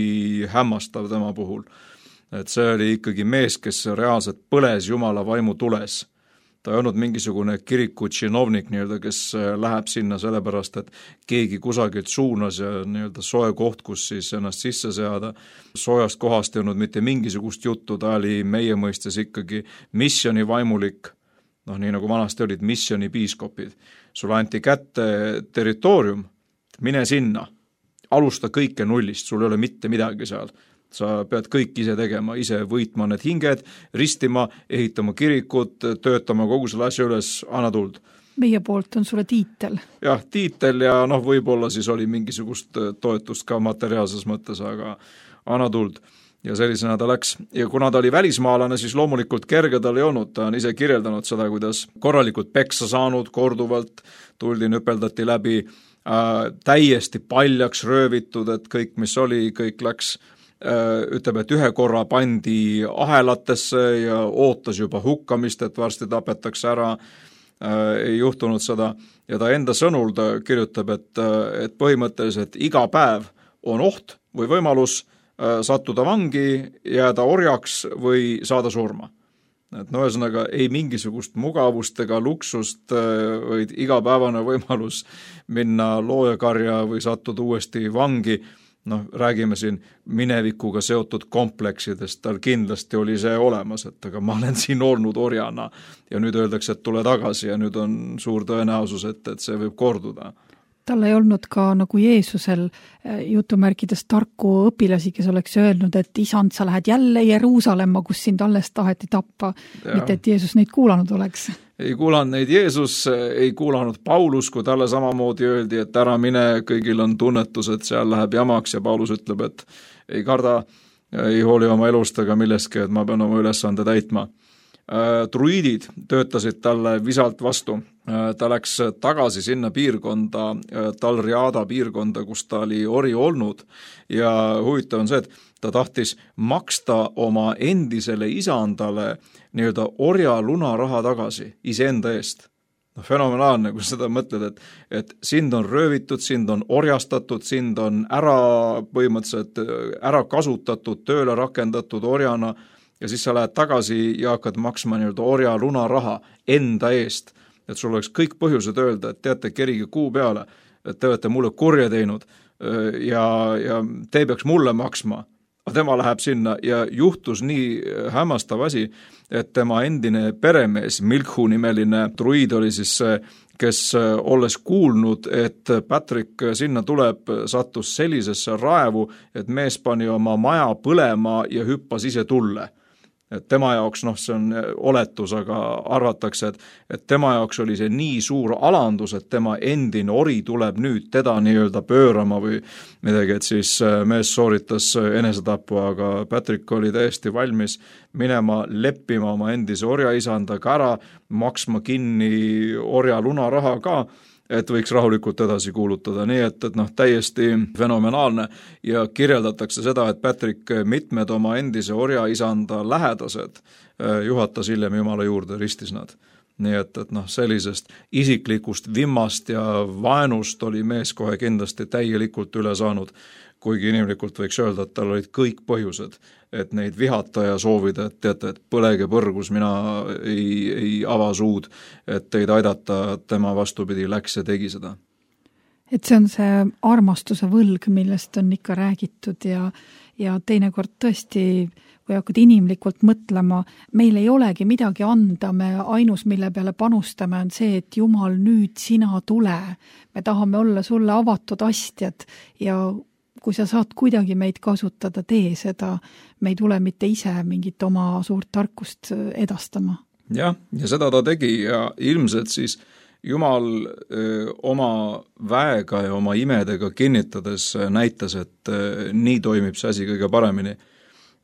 hämmastav tema puhul. Et see oli ikkagi mees, kes reaalselt põles Jumala vaimu tules. Ta ei olnud mingisugune kiriku činovnik, kes läheb sinna sellepärast, et keegi kusagilt suunas ja soe koht, kus siis ennast sisse seada. Soojast kohast ei olnud mitte mingisugust juttu, ta oli meie mõistes ikkagi missioni vaimulik, nii nagu vanasti olid missioni piiskopid. Sulle anti kätte territoorium, mine sinna, alusta kõike nullist, sul ei ole mitte midagi seal. Sa pead kõik ise tegema, ise võitma need hinged, ristima, ehitama kirikut, töötama kogu selle asja üles, anna tuld. Meie poolt on sulle tiitel. Jah, tiitel ja võib-olla siis oli mingisugust toetust ka materiaalses mõttes, aga anna tuld. Ja sellisena ta läks. Ja kuna ta oli välismaalane, siis loomulikult kerge tal ei olnud. Ta on ise kirjeldanud seda, kuidas korralikult peksa saanud, korduvalt tuldi, nüpeldati läbi, täiesti paljaks röövitud, et kõik, mis oli, kõik läks, ütleb, et ühe korra pandi ahelatesse ja ootas juba hukkamist, et varsti tapetakse ära, ei juhtunud seda. Ja ta enda sõnul ta kirjutab, et põhimõtteliselt iga päev on oht või võimalus sattuda vangi, jääda orjaks või saada surma. Et ühesõnaga ei mingisugust mugavust ega luksust, vaid igapäevane võimalus minna loojakarja või sattuda uuesti vangi. Räägime siin minevikuga seotud kompleksidest, tal kindlasti oli see olemas, et aga ma olen siin olnud orjana ja nüüd öeldakse, et tule tagasi ja nüüd on suur tõenäosus, et see võib korduda. Tal ei olnud ka nagu Jeesusel jutumärkides tarku õpilasi, kes oleks öelnud, et isand, sa lähed jälle Jeruusalemma, kus sind alles taheti tappa, mitte et Jeesus neid kuulanud oleks. Ei kuulanud neid Jeesus, ei kuulanud Paulus, kui talle samamoodi öeldi, et ära mine, kõigil on tunnetus, et seal läheb jamaks ja Paulus ütleb, et ei karda, ei hooli oma elust ega millestki, et ma pean oma ülesande täitma. Druidid töötasid talle visalt vastu. Ta läks tagasi sinna piirkonda, Talriada piirkonda, kus ta oli ori olnud ja huvitav on see, et ta tahtis maksta oma endisele isandale nii-öelda orja lunaraha tagasi iseenda eest. Fenomenaalne, kui seda mõtled, et sind on röövitud, sind on orjastatud, sind on põhimõtteliselt ära kasutatud, tööle rakendatud orjana ja siis sa lähed tagasi ja hakkad maksma nii-öelda orja lunaraha enda eest. Et sul oleks kõik põhjused öelda, et teate, kerige kuu peale, et te olete mulle kurja teinud ja te peaks mulle maksma, tema läheb sinna ja juhtus nii hämmastav asi, et tema endine peremees, Milkhu nimeline druid oli siis see, kes olles kuulnud, et Patrick sinna tuleb, sattus sellisesse raevu, et mees pani oma maja põlema ja hüppas ise tulle. Et tema jaoks, see on oletus, aga arvatakse, et tema jaoks oli see nii suur alandus, et tema endine ori tuleb nüüd teda nii-öelda pöörama või midagi, et siis mees sooritas enesetapu, aga Patrick oli täiesti valmis minema leppima oma endise orjaisandaga ära, maksma kinni orja lunaraha ka, et võiks rahulikult edasi kuulutada, nii et täiesti fenomenaalne ja kirjeldatakse seda, et Patrick mitmed oma endise orjaisanda lähedased juhatas hiljem Jumala juurde, ristis nad. Nii et sellisest isiklikust vimmast ja vaenust oli mees kohe kindlasti täielikult üle saanud, kuigi inimlikult võiks öelda, et tal olid kõik põhjused, et neid vihata ja soovida, et teate, et põlege põrgus, mina ei ava suud, et teid aidata, tema vastupidi läks ja tegi seda. Et see on see armastuse võlg, millest on ikka räägitud ja teinekord tõesti, kui hakkad inimlikult mõtlema, meil ei olegi midagi anda, me ainus, mille peale panustame, on see, et Jumal, nüüd sina tule. Me tahame olla sulle avatud astjad ja kui sa saad kuidagi meid kasutada, tee seda, me ei tule mitte ise mingit oma suurt tarkust edastama. Ja seda ta tegi ja ilmselt siis Jumal oma väega ja oma imedega kinnitades näitas, et nii toimib see asi kõige paremini.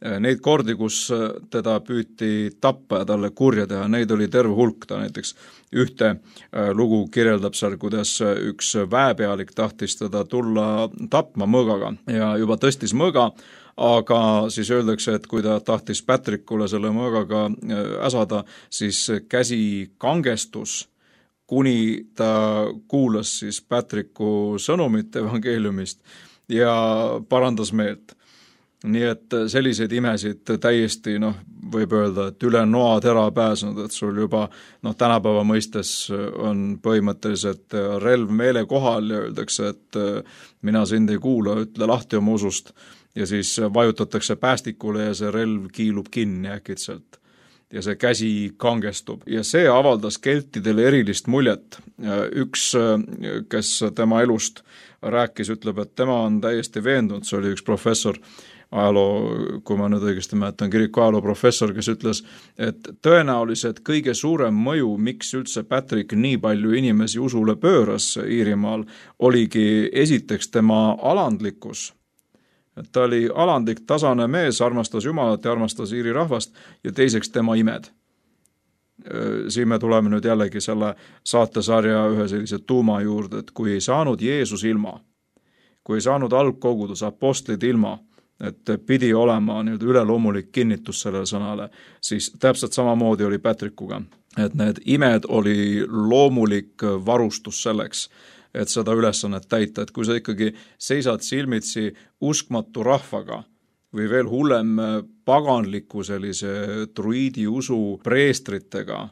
Neid kordi, kus teda püüti tappa ja talle kurja teha, neid oli terve hulk. Ta näiteks ühte lugu kirjeldab seal, kuidas üks väepealik tahtis teda tulla tapma mõõgaga ja juba tõstis mõõga, aga siis öeldakse, et kui ta tahtis Patrickule selle mõõgaga äsada, siis käsi kangestus, kuni ta kuulas siis Patricku sõnumit evangeeliumist ja parandas meelt. Nii et selliseid imesid täiesti, võib öelda, et üle noatera pääsenud, et sul juba tänapäeva mõistes on põhimõtteliselt relv meele kohal ja öeldakse, et mina sind ei kuula, ütle lahti oma usust ja siis vajutatakse päästikule ja see relv kiilub kinni äkitselt ja see käsi kangestub ja see avaldas keltidele erilist muljet. Üks, kes tema elust rääkis, ütleb, et tema on täiesti veendunud, see oli üks professor, kui ma nüüd õigesti mäletan, kiriku ajaloo professor, kes ütles, et tõenäoliselt kõige suurem mõju, miks üldse Patrick nii palju inimesi usule pööras Iirimaal, oligi esiteks tema alandlikkus. Ta oli alandlik, tasane mees, armastas Jumalat ja armastas Iiri rahvast ja teiseks tema imed. Siin me tuleme nüüd jällegi selle saatesarja ühe sellise tuuma juurde, et kui ei saanud Jeesus ilma, kui ei saanud algkogudus, apostlid ilma, et pidi olema üleloomulik kinnitus sellele sõnale, siis täpselt samamoodi oli Patrickuga. Et need imed oli loomulik varustus selleks, et seda ülesannet täita. Et kui sa ikkagi seisad silmitsi uskmatu rahvaga või veel hullem paganliku sellise druidi usu preestritega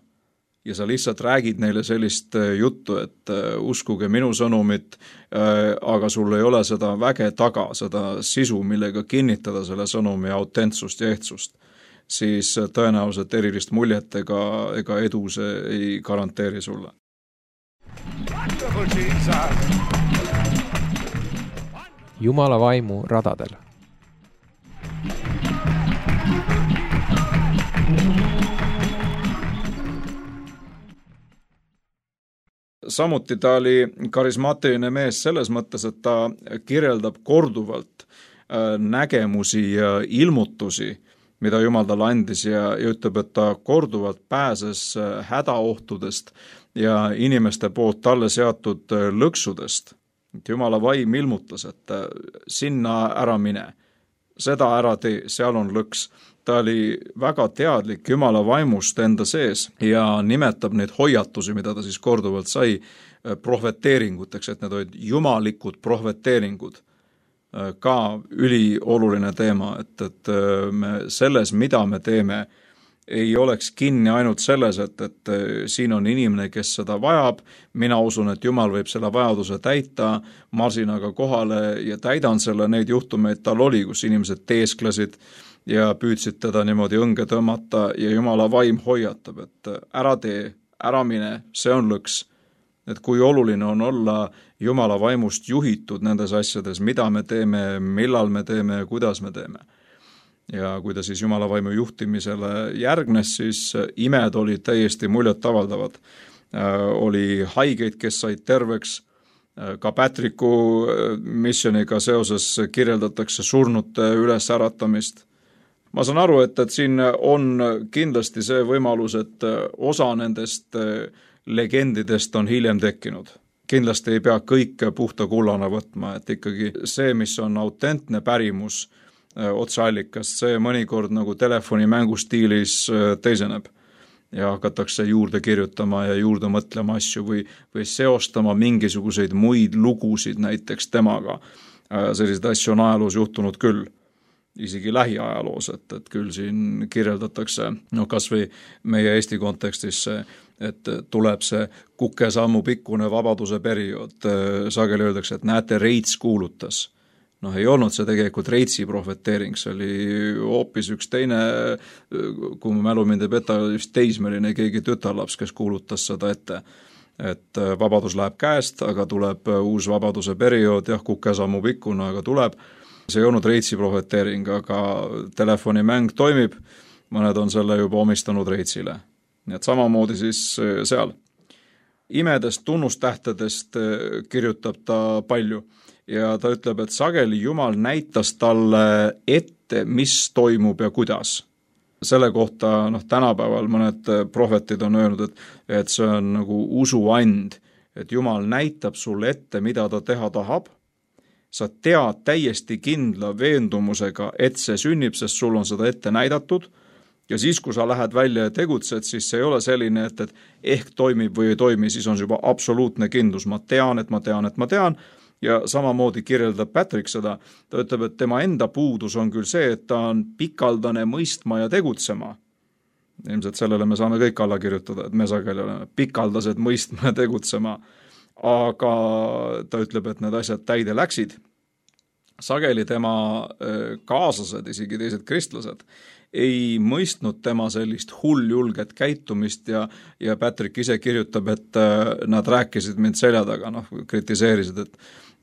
ja sa lihtsalt räägid neile sellist juttu, et uskuge minu sõnumit, aga sul ei ole seda väge taga, seda sisu, millega kinnitada selle sõnumi autentsust ja ehtsust, siis tõenäoliselt erilist muljet ega edu see ei garanteeri sulle. Jumala vaimu radadel. Samuti ta oli karismaatiline mees selles mõttes, et ta kirjeldab korduvalt nägemusi ja ilmutusi, mida Jumal talle andis ja ütleb, et ta korduvalt pääses hädaohtudest ja inimeste poolt talle seatud lõksudest. Jumala vaim ilmutas, et sinna ära mine, seda ära tee, seal on lõks. Ta oli väga teadlik Jumala vaimust enda sees ja nimetab neid hoiatusi, mida ta siis korduvalt sai prohveteeringuteks, et need olid jumalikud prohveteeringud. Ka ülioluline teema, et me selles, mida me teeme, ei oleks kinni ainult selles, et siin on inimene, kes seda vajab, mina usun, et Jumal võib selle vajaduse täita, marsin aga kohale ja täidan selle, neid juhtumeid tal oli, kus inimesed teesklesid ja püüdsid teda niimoodi õnge tõmmata ja Jumala vaim hoiatab, et ära tee, ära mine, see on lõks. Et kui oluline on olla Jumala vaimust juhitud nendes asjades, mida me teeme, millal me teeme ja kuidas me teeme. Ja kui ta siis Jumala vaimu juhtimisele järgnes, siis imed olid täiesti muljetavaldavad. Oli haigeid, kes said terveks, ka Patricku missioniga seoses kirjeldatakse surnute üles äratamist. Ma saan aru, et siin on kindlasti see võimalus, et osa nendest legendidest on hiljem tekkinud. Kindlasti ei pea kõike puhta kullana võtma, et ikkagi see, mis on autentne pärimus otseallikast, see mõnikord nagu telefonimängu stiilis teiseneb ja hakatakse juurde kirjutama ja juurde mõtlema asju või seostama mingisuguseid muid lugusid näiteks temaga. Selliseid asju on ajaloos juhtunud küll, isegi lähiajaloos, et küll siin kirjeldatakse, kas või meie Eesti kontekstis see, et tuleb see kukesammu pikkune vabaduse periood, sageli öeldakse, et näete, Reits kuulutas. Ei olnud see tegelikult Reitsi prohveteering, see oli hoopis üks teine, kui mu mälu mind ei peta, just teismeline keegi tütarlaps, kes kuulutas seda ette, et vabadus läheb käest, aga tuleb uus vabaduse periood, jah, kukesammu pikkune, aga tuleb. See ei olnud Reitsi prohveteering, aga telefonimäng toimib, mõned on selle juba omistanud Reitsile. Nii et samamoodi siis seal. Imedest, tunnustähtedest kirjutab ta palju ja ta ütleb, et sageli Jumal näitas talle ette, mis toimub ja kuidas. Selle kohta tänapäeval mõned prohvetid on öelnud, et see on nagu usuand, et Jumal näitab sulle ette, mida ta teha tahab. Sa tead täiesti kindla veendumusega, et see sünnib, sest sul on seda ette näidatud. Ja siis, kui sa lähed välja ja tegutsed, siis see ei ole selline, et ehk toimib või ei toimi, siis on juba absoluutne kindlus. Ma tean. Ja samamoodi kirjeldab Patrick seda. Ta ütleb, et tema enda puudus on küll see, et ta on pikaldane mõistma ja tegutsema. Ilmselt sellele me saame kõik alla kirjutada, et me sageli oleme pikaldased mõistma ja tegutsema. Aga ta ütleb, et need asjad täide läksid. Sageli tema kaaslased, isegi teised kristlased, ei mõistnud tema sellist hulljulget käitumist ja Patrick ise kirjutab, et nad rääkisid mind selja taga, kritiseerisid,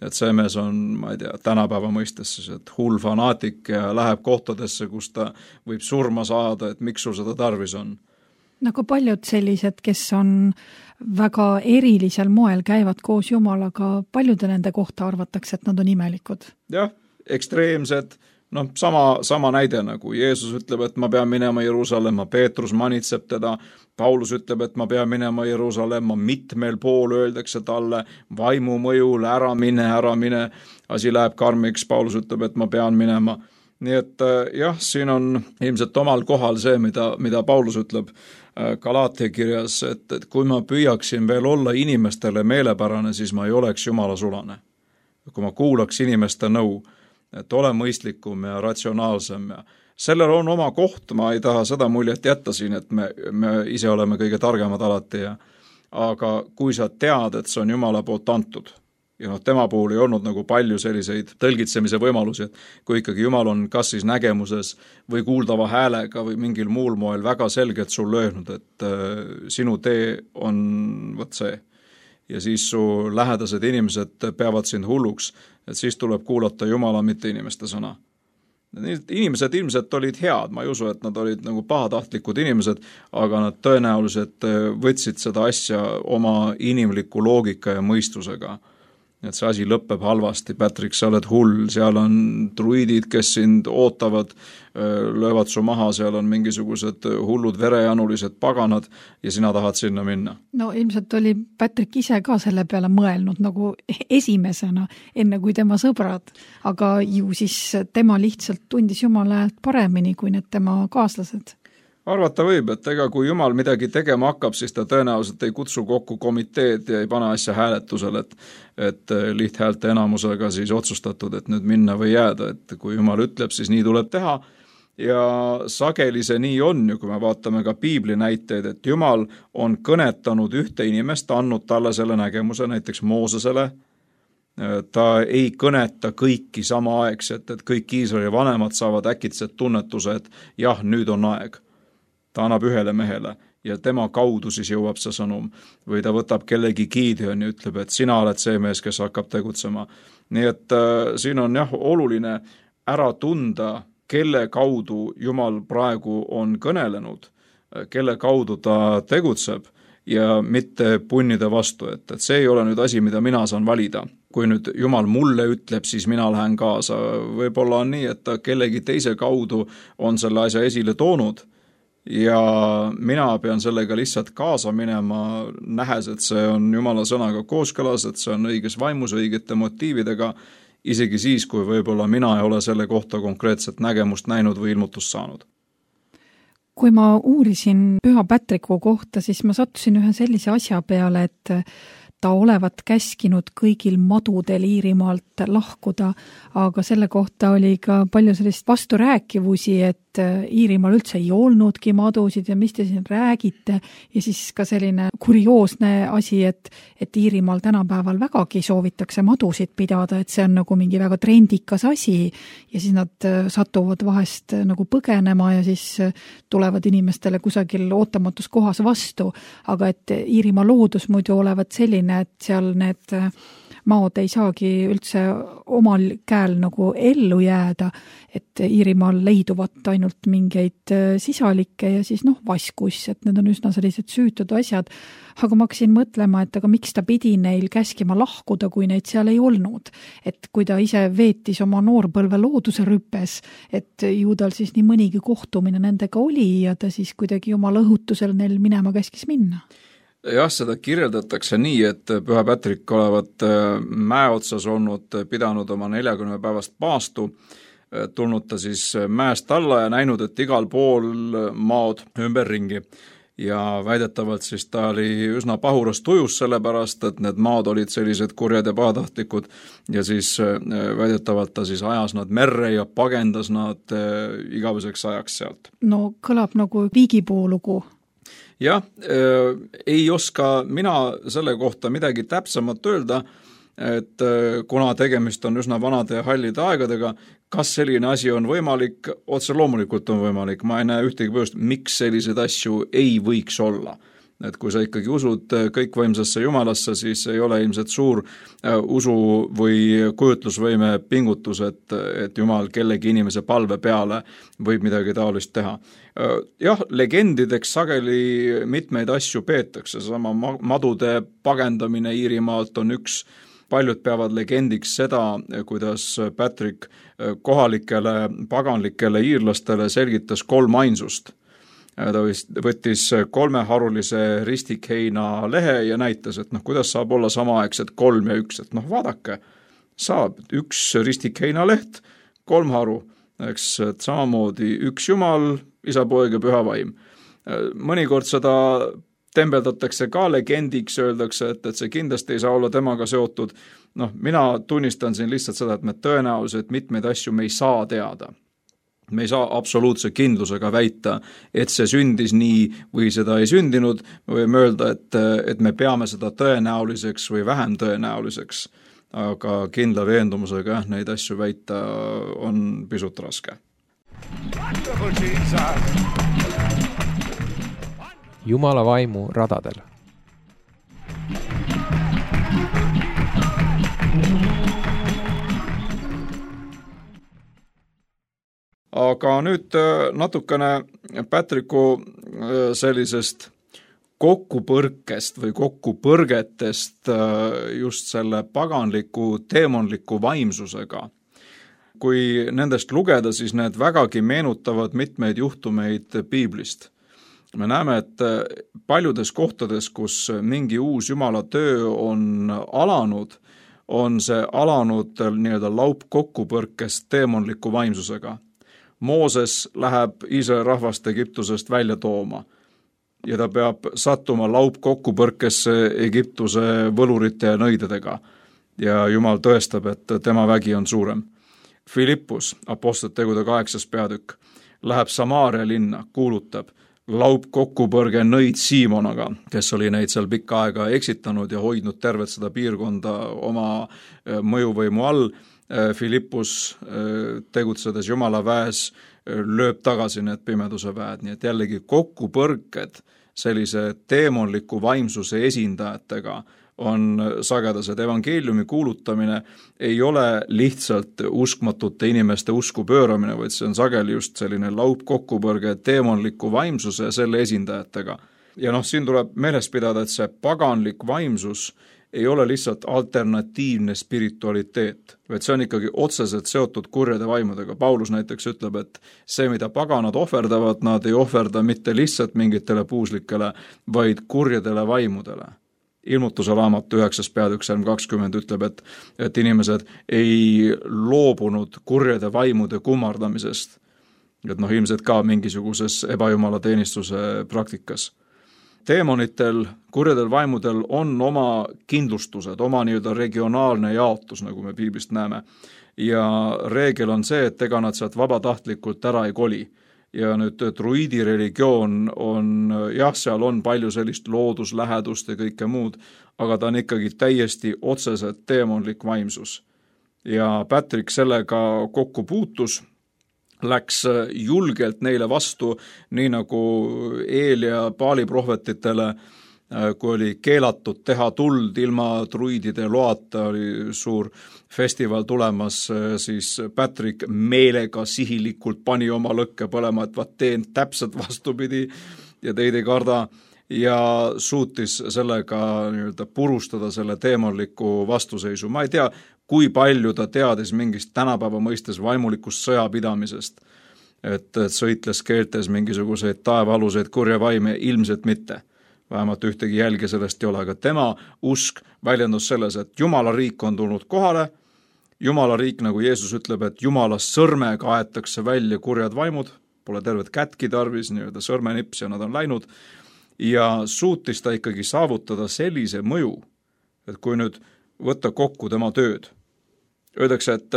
et see mees on, ma ei tea, tänapäeva mõistes, et hull fanaatik ja läheb kohtadesse, kus ta võib surma saada, et miks sul seda tarvis on. Nagu paljud sellised, kes on väga erilisel moel käivad koos Jumalaga, paljude nende kohta arvatakse, et nad on imelikud. Jah, ekstreemsed. Sama näide nagu Jeesus ütleb, et ma pean minema Jeruusalemma, Peetrus manitseb teda, Paulus ütleb, et ma pean minema Jeruusalemma, mitmel pool öeldakse talle vaimu mõjul, ära mine, asi läheb karmiks, Paulus ütleb, et ma pean minema. Nii et jah, siin on ilmselt omal kohal see, mida Paulus ütleb Galaatia kirjas, et kui ma püüaksin veel olla inimestele meelepärane, siis ma ei oleks Jumala sulane. Kui ma kuulaks inimeste nõu, et ole mõistlikum ja ratsionaalsem ja sellel on oma koht, ma ei taha seda muljet jätta siin, et me ise oleme kõige targemad alati aga kui sa tead, et see on Jumala poolt antud ja tema puhul ei olnud nagu palju selliseid tõlgitsemise võimalusi, et kui ikkagi Jumal on kas siis nägemuses või kuuldava häälega või mingil muul moel väga selgelt sul öelnud, et sinu tee on võt see ja siis su lähedased inimesed peavad sind hulluks, et siis tuleb kuulata Jumala, mitte inimeste sõna. Inimesed ilmselt olid head, ma ei usu, et nad olid nagu pahatahtlikud inimesed, aga nad tõenäoliselt võtsid seda asja oma inimliku loogika ja mõistusega. Et see asi lõpeb halvasti, Patrick, sa oled hull, seal on druidid, kes sind ootavad, löövad su maha, seal on mingisugused hullud verejanulised paganad ja sina tahad sinna minna. No ilmselt oli Patrick ise ka selle peale mõelnud nagu esimesena, enne kui tema sõbrad, aga ju siis tema lihtsalt tundis Jumala häält paremini kui need tema kaaslased. Arvata võib, et ega kui Jumal midagi tegema hakkab, siis ta tõenäoliselt ei kutsu kokku komiteed ja ei pane asja hääletusel, et lihthäälte enamusega siis otsustatud, et nüüd minna või jääda, et kui Jumal ütleb, siis nii tuleb teha ja sageli see nii on ju, kui me vaatame ka piibli näiteid, et Jumal on kõnetanud ühte inimest, andnud talle selle nägemuse, näiteks Moosesele. Ta ei kõneta kõiki samaaegselt, et kõik Iisraeli vanemad saavad äkitselt tunnetuse, et jah, nüüd on aeg. Ta annab ühele mehele ja tema kaudu siis jõuab see sõnum. Või ta võtab kellegi Gideon ja ütleb, et sina oled see mees, kes hakkab tegutsema. Nii et siin on jah oluline ära tunda, kelle kaudu Jumal praegu on kõnelenud, kelle kaudu ta tegutseb ja mitte punnida vastu, et see ei ole nüüd asi, mida mina saan valida. Kui nüüd Jumal mulle ütleb, siis mina lähen kaasa. Võib-olla on nii, et ta kellegi teise kaudu on selle asja esile toonud ja mina pean sellega lihtsalt kaasa minema, nähes, et see on Jumala sõnaga kooskõlas, et see on õiges vaimus, õigete motiividega, isegi siis, kui võib-olla mina ei ole selle kohta konkreetset nägemust näinud või ilmutust saanud. Kui ma uurisin Püha Patriku kohta, siis ma sattusin ühe sellise asja peale, et ta olevat käskinud kõigil madudel Iirimaalt lahkuda, aga selle kohta oli ka palju sellist vasturääkivusi, et Iirimaal üldse ei olnudki madusid ja mis te siin räägite ja siis ka selline kurioosne asi, et Iirimaal tänapäeval vägagi soovitakse madusid pidada, et see on nagu mingi väga trendikas asi ja siis nad satuvad vahest nagu põgenema ja siis tulevad inimestele kusagil ootamatus kohas vastu, aga et Iirimaa loodus muidu olevat selline, et seal need maod ei saagi üldse omal käel nagu ellu jääda, et Iirimaal leiduvat ainult mingeid sisalikke ja siis vaskus, et need on üsna sellised süütud asjad. Aga ma hakkasin mõtlema, et aga miks ta pidi neil käskima lahkuda, kui neid seal ei olnud. Et kui ta ise veetis oma noorpõlve looduse rüpes, et ju tal siis nii mõnigi kohtumine nendega oli ja ta siis kuidagi oma õhutusel neil minema käskis minna. Jah, seda kirjeldatakse nii, et Püha Patrik olevat mäe otsas olnud, pidanud oma 40 päevast paastu, tulnud ta siis mäest alla ja näinud, et igal pool maod ümberringi. Ja väidetavalt siis ta oli üsna pahuras tujus sellepärast, et need maod olid sellised kurjad ja pahatahtlikud ja siis väidetavalt ta siis ajas nad merre ja pagendas nad igaveseks ajaks sealt. No kõlab nagu viigipuulugu. Jah, ei oska mina selle kohta midagi täpsemat öelda, et kuna tegemist on üsna vanade ja hallide aegadega, kas selline asi on võimalik, otse loomulikult on võimalik, ma ei näe ühtegi põhjust, miks sellised asju ei võiks olla. Et kui sa ikkagi usud kõikvõimsasse Jumalasse, siis ei ole ilmselt suur usu või kujutlusvõime pingutus, et Jumal kellegi inimese palve peale võib midagi taolist teha. Jah, legendideks sageli mitmeid asju peetakse, sama madude pagendamine Iirimaalt on üks, paljud peavad legendiks seda, kuidas Patrick kohalikele paganlikele iirlastele selgitas 3 ainsust. Ta võttis 3 harulise ristikheina lehe ja näitas, et kuidas saab olla samaaegselt 3 ja 1, et vaadake, saab 1 ristikheina leht, 3 haru, eks, et samamoodi 1 Jumal, Isa, Poeg ja Püha Vaim. Mõnikord seda tembeldatakse ka legendiks, öeldakse, et see kindlasti ei saa olla temaga seotud. Mina tunnistan siin lihtsalt seda, et me tõenäoliselt mitmeid asju me ei saa teada. Me ei saa absoluutse kindlusega väita, et see sündis nii või seda ei sündinud, me võime öelda, et me peame seda tõenäoliseks või vähem tõenäoliseks, aga kindla veendumusega neid asju väita on pisut raske. Jumala vaimu radadel. Aga nüüd natukene Patriku sellisest kokkupõrkest või kokkupõrgetest just selle paganliku, teemonliku vaimsusega. Kui nendest lugeda, siis need vägagi meenutavad mitmeid juhtumeid piiblist. Me näeme, et paljudes kohtades, kus mingi uus Jumala töö on alanud, on see alanud nii-öelda laupkokkupõrkest teemonliku vaimsusega. Mooses läheb Iisraeli rahvast Egiptusest välja tooma ja ta peab sattuma laupkokkupõrkesse Egiptuse võlurite ja nõidedega ja Jumal tõestab, et tema vägi on suurem. Filippus, Apostlite tegude 8. peatükk, läheb Samaaria linna, kuulutab laupkokkupõrge nõid Siimonaga, kes oli neid seal pikka aega eksitanud ja hoidnud tervet seda piirkonda oma mõjuvõimu all. Filippus tegutsedes Jumala väes lööb tagasi need pimeduse väed, nii et jällegi kokkupõrked sellise teemonliku vaimsuse esindajatega on sagedased. Evangeeliumi kuulutamine ei ole lihtsalt uskmatute inimeste usku pööramine, vaid see on sageli just selline laupkokkupõrge teemonliku vaimsuse ja selle esindajatega. Ja siin tuleb meeles pidada, et see paganlik vaimsus ei ole lihtsalt alternatiivne spiritualiteet, vaid see on ikkagi otseselt seotud kurjade vaimudega. Paulus näiteks ütleb, et see, mida paganad ohverdavad, nad ei ohverda mitte lihtsalt mingitele puuslikele, vaid kurjadele vaimudele. Ilmutuse raamat 9. peatükk 20 ütleb, et inimesed ei loobunud kurjade vaimude kummardamisest. Et ilmselt ka mingisuguses ebajumala teenistuse praktikas. Teemonitel, kurjadel vaimudel on oma kindlustused, oma nii-öelda regionaalne jaotus, nagu me piiblist näeme. Ja reegel on see, et ega nad sealt vabatahtlikult ära ei koli. Ja nüüd druidi religioon on, seal on palju sellist looduslähedust ja kõike muud, aga ta on ikkagi täiesti otseselt teemonlik vaimsus. Ja Patrick sellega kokku puutus, läks julgelt neile vastu, nii nagu Eel ja Paali prohvetitele, kui oli keelatud teha tuld ilma druidide loata, oli suur festival tulemas, siis Patrick meelega sihilikult pani oma lõkke põlema, et vaat teen täpselt vastupidi ja teid ei karda ja suutis sellega nii-öelda purustada selle teemonliku vastuseisu. Ma ei tea, kui palju ta teadis mingist tänapäeva mõistes vaimulikust sõjapidamisest, et sõitles keeltes mingisuguseid taevaaluseid kurja vaime, ilmselt mitte. Vähemalt ühtegi jälge sellest ei ole, aga tema usk väljendus selles, et Jumala riik on tulnud kohale, Jumala riik, nagu Jeesus ütleb, et Jumala sõrmega aetakse välja kurjad vaimud, pole tervet kätki tarvis, nii-öelda sõrmenips ja nad on läinud, ja suutis ta ikkagi saavutada sellise mõju, et kui nüüd võtta kokku tema tööd. Öeldakse, et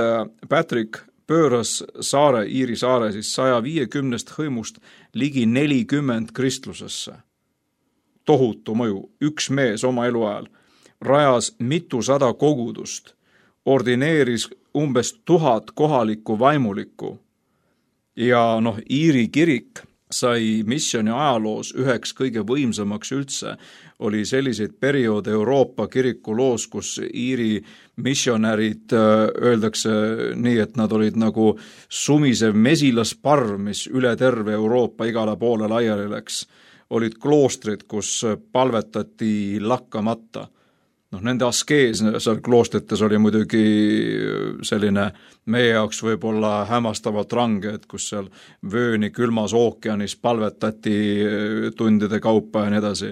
Patrick pööras saare, Iiri saare siis 150 hõimust ligi 40 kristlusesse. Tohutu mõju, üks mees oma eluajal, rajas mitusada kogudust, ordineeris umbes 1000 kohalikku vaimulikku ja Iiri kirik sai missiooni ajaloos üheks kõige võimsamaks üldse. Oli selliseid perioode Euroopa kiriku loos, kus Iiri missionärid öeldakse nii, et nad olid nagu sumisev mesilasparv, mis üle terve Euroopa igale poole laiali läks. Olid kloostrid, kus palvetati lakkamata. Nende askees seal kloostrites oli muidugi selline meie jaoks võib-olla hämmastavalt range, et kus seal vööni külmas ookeanis palvetati tundide kaupa ja nii edasi.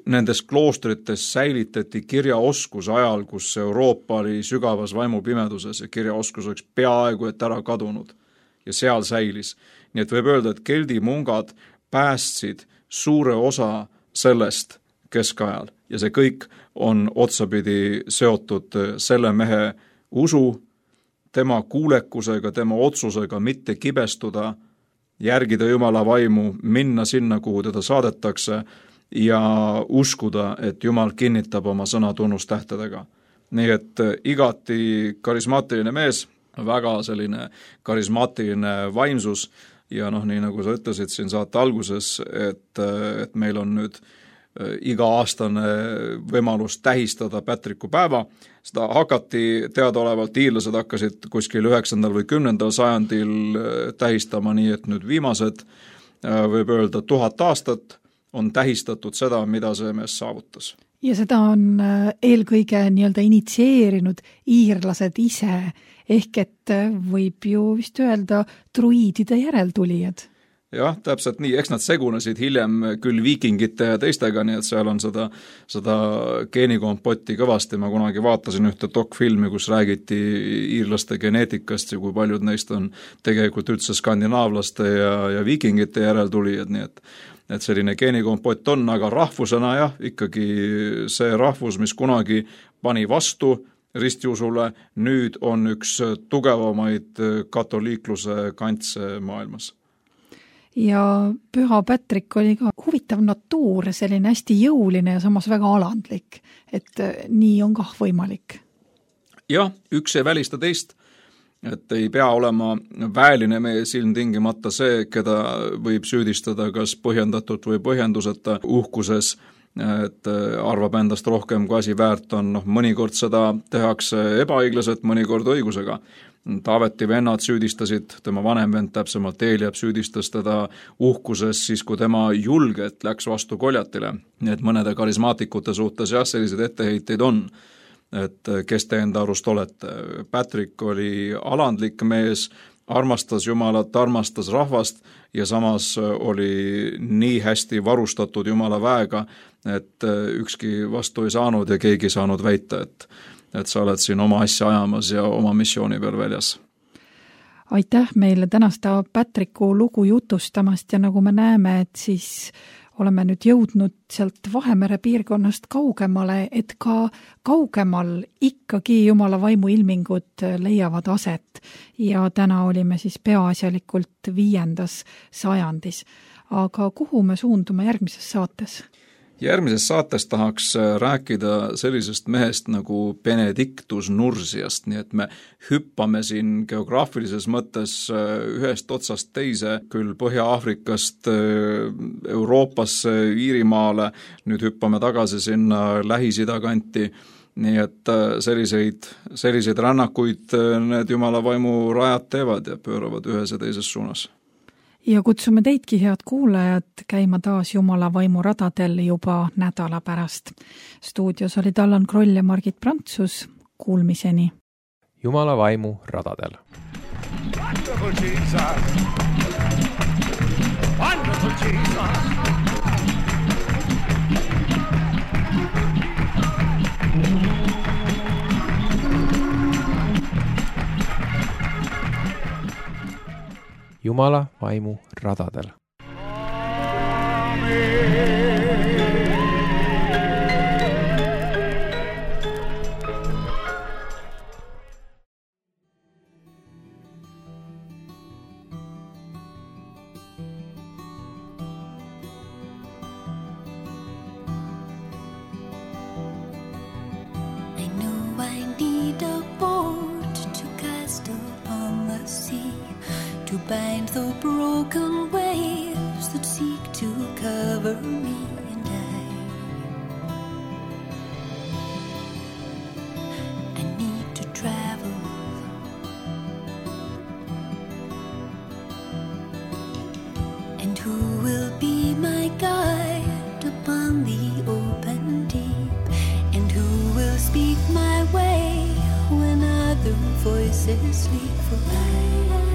Nendes kloostrites säilitati kirjaoskus ajal, kus Euroopa oli sügavas vaimupimeduses ja kirjaoskus oleks peaaegu et ära kadunud ja seal säilis. Nii et võib öelda, et keldi mungad päästsid suure osa sellest keskajal ja see kõik on otsapidi seotud selle mehe usu, tema kuulekusega, tema otsusega mitte kibestuda, järgida Jumala vaimu, minna sinna, kuhu teda saadetakse ja uskuda, et Jumal kinnitab oma sõna tunnustähtedega. Nii et igati karismaatiline mees, väga selline karismaatiline vaimsus ja nii nagu sa ütlesid siin saate alguses, et meil on nüüd iga-aastane võimalus tähistada Patricku päeva. Seda hakati teadaolevalt, iirlased hakkasid kuskil 9. või 10. sajandil tähistama, nii et nüüd viimased, võib öelda 1000 aastat on tähistatud seda, mida see mees saavutas. Ja seda on eelkõige nii-öelda initsieerinud iirlased ise, ehk et võib ju vist öelda druidide järeltulijad. Jah, täpselt nii, eks nad segunesid hiljem küll viikingite ja teistega, nii et seal on seda geenikompotti kõvasti. Ma kunagi vaatasin ühte dokfilmi, kus räägiti iirlaste geneetikast ja kui paljud neist on tegelikult üldse skandinaavlaste ja viikingite järeltulijad, nii et selline geenikompott on, aga rahvusena jah, ikkagi see rahvus, mis kunagi pani vastu, ristiusule, nüüd on üks tugevamaid katoliikluse kantse maailmas. Ja Püha Patrick oli ka huvitav natuur, selline hästi jõuline ja samas väga alandlik, et nii on kah võimalik. Jah, üks ei välista teist, et ei pea olema väeline mees ilmtingimata see, keda võib süüdistada kas põhjendatult või põhjenduseta uhkuses, et arvab endast rohkem, kui asi väärt on. Mõnikord seda tehakse ebaõiglaselt, mõnikord õigusega. Taaveti vennad süüdistasid, tema vanem vend täpsemalt Eliab süüdistas teda uhkuses siis, kui tema julgelt läks vastu Goljatile. Nii et mõnede karismaatikute suhtes jah, sellised etteheiteid on, et kes te enda arust olete. Patrick oli alandlik mees, armastas Jumalat, armastas rahvast ja samas oli nii hästi varustatud Jumala väega, et ükski vastu ei saanud ja keegi ei saanud väita, et sa oled siin oma asja ajamas ja oma missiooni peal väljas. Aitäh meile tänasta Patricku lugu jutustamast ja nagu me näeme, et siis oleme nüüd jõudnud sealt Vahemere piirkonnast kaugemale, et ka kaugemal ikkagi Jumala vaimu ilmingud leiavad aset ja täna olime siis peaasjalikult 5. sajandis. Aga kuhu me suundume järgmises saates? Järgmises saates tahaks rääkida sellisest mehest nagu Benedictus Nursiast, nii et me hüppame siin geograafilises mõttes ühest otsast teise, küll Põhja-Aafrikast Euroopasse, Iirimaale, nüüd hüppame tagasi sinna Lähis-Ida kanti, nii et selliseid rännakuid need Jumala vaimu rajad teevad ja pööravad ühes ja teises suunas. Ja kutsume teidki, head kuulajad, käima taas Jumala vaimu radadel juba nädala pärast. Stuudios olid Allan Kroll ja Margit Prantsus. Kuulmiseni. Jumala vaimu radadel. Wonderful Jesus. Wonderful Jesus. Jumala vaimu radadel. I know I need a boat to cast upon the sea, to bind the broken waves that seek to cover me and I need to travel. And who will be my guide upon the open deep? And who will speak my way when other voices sleep? For I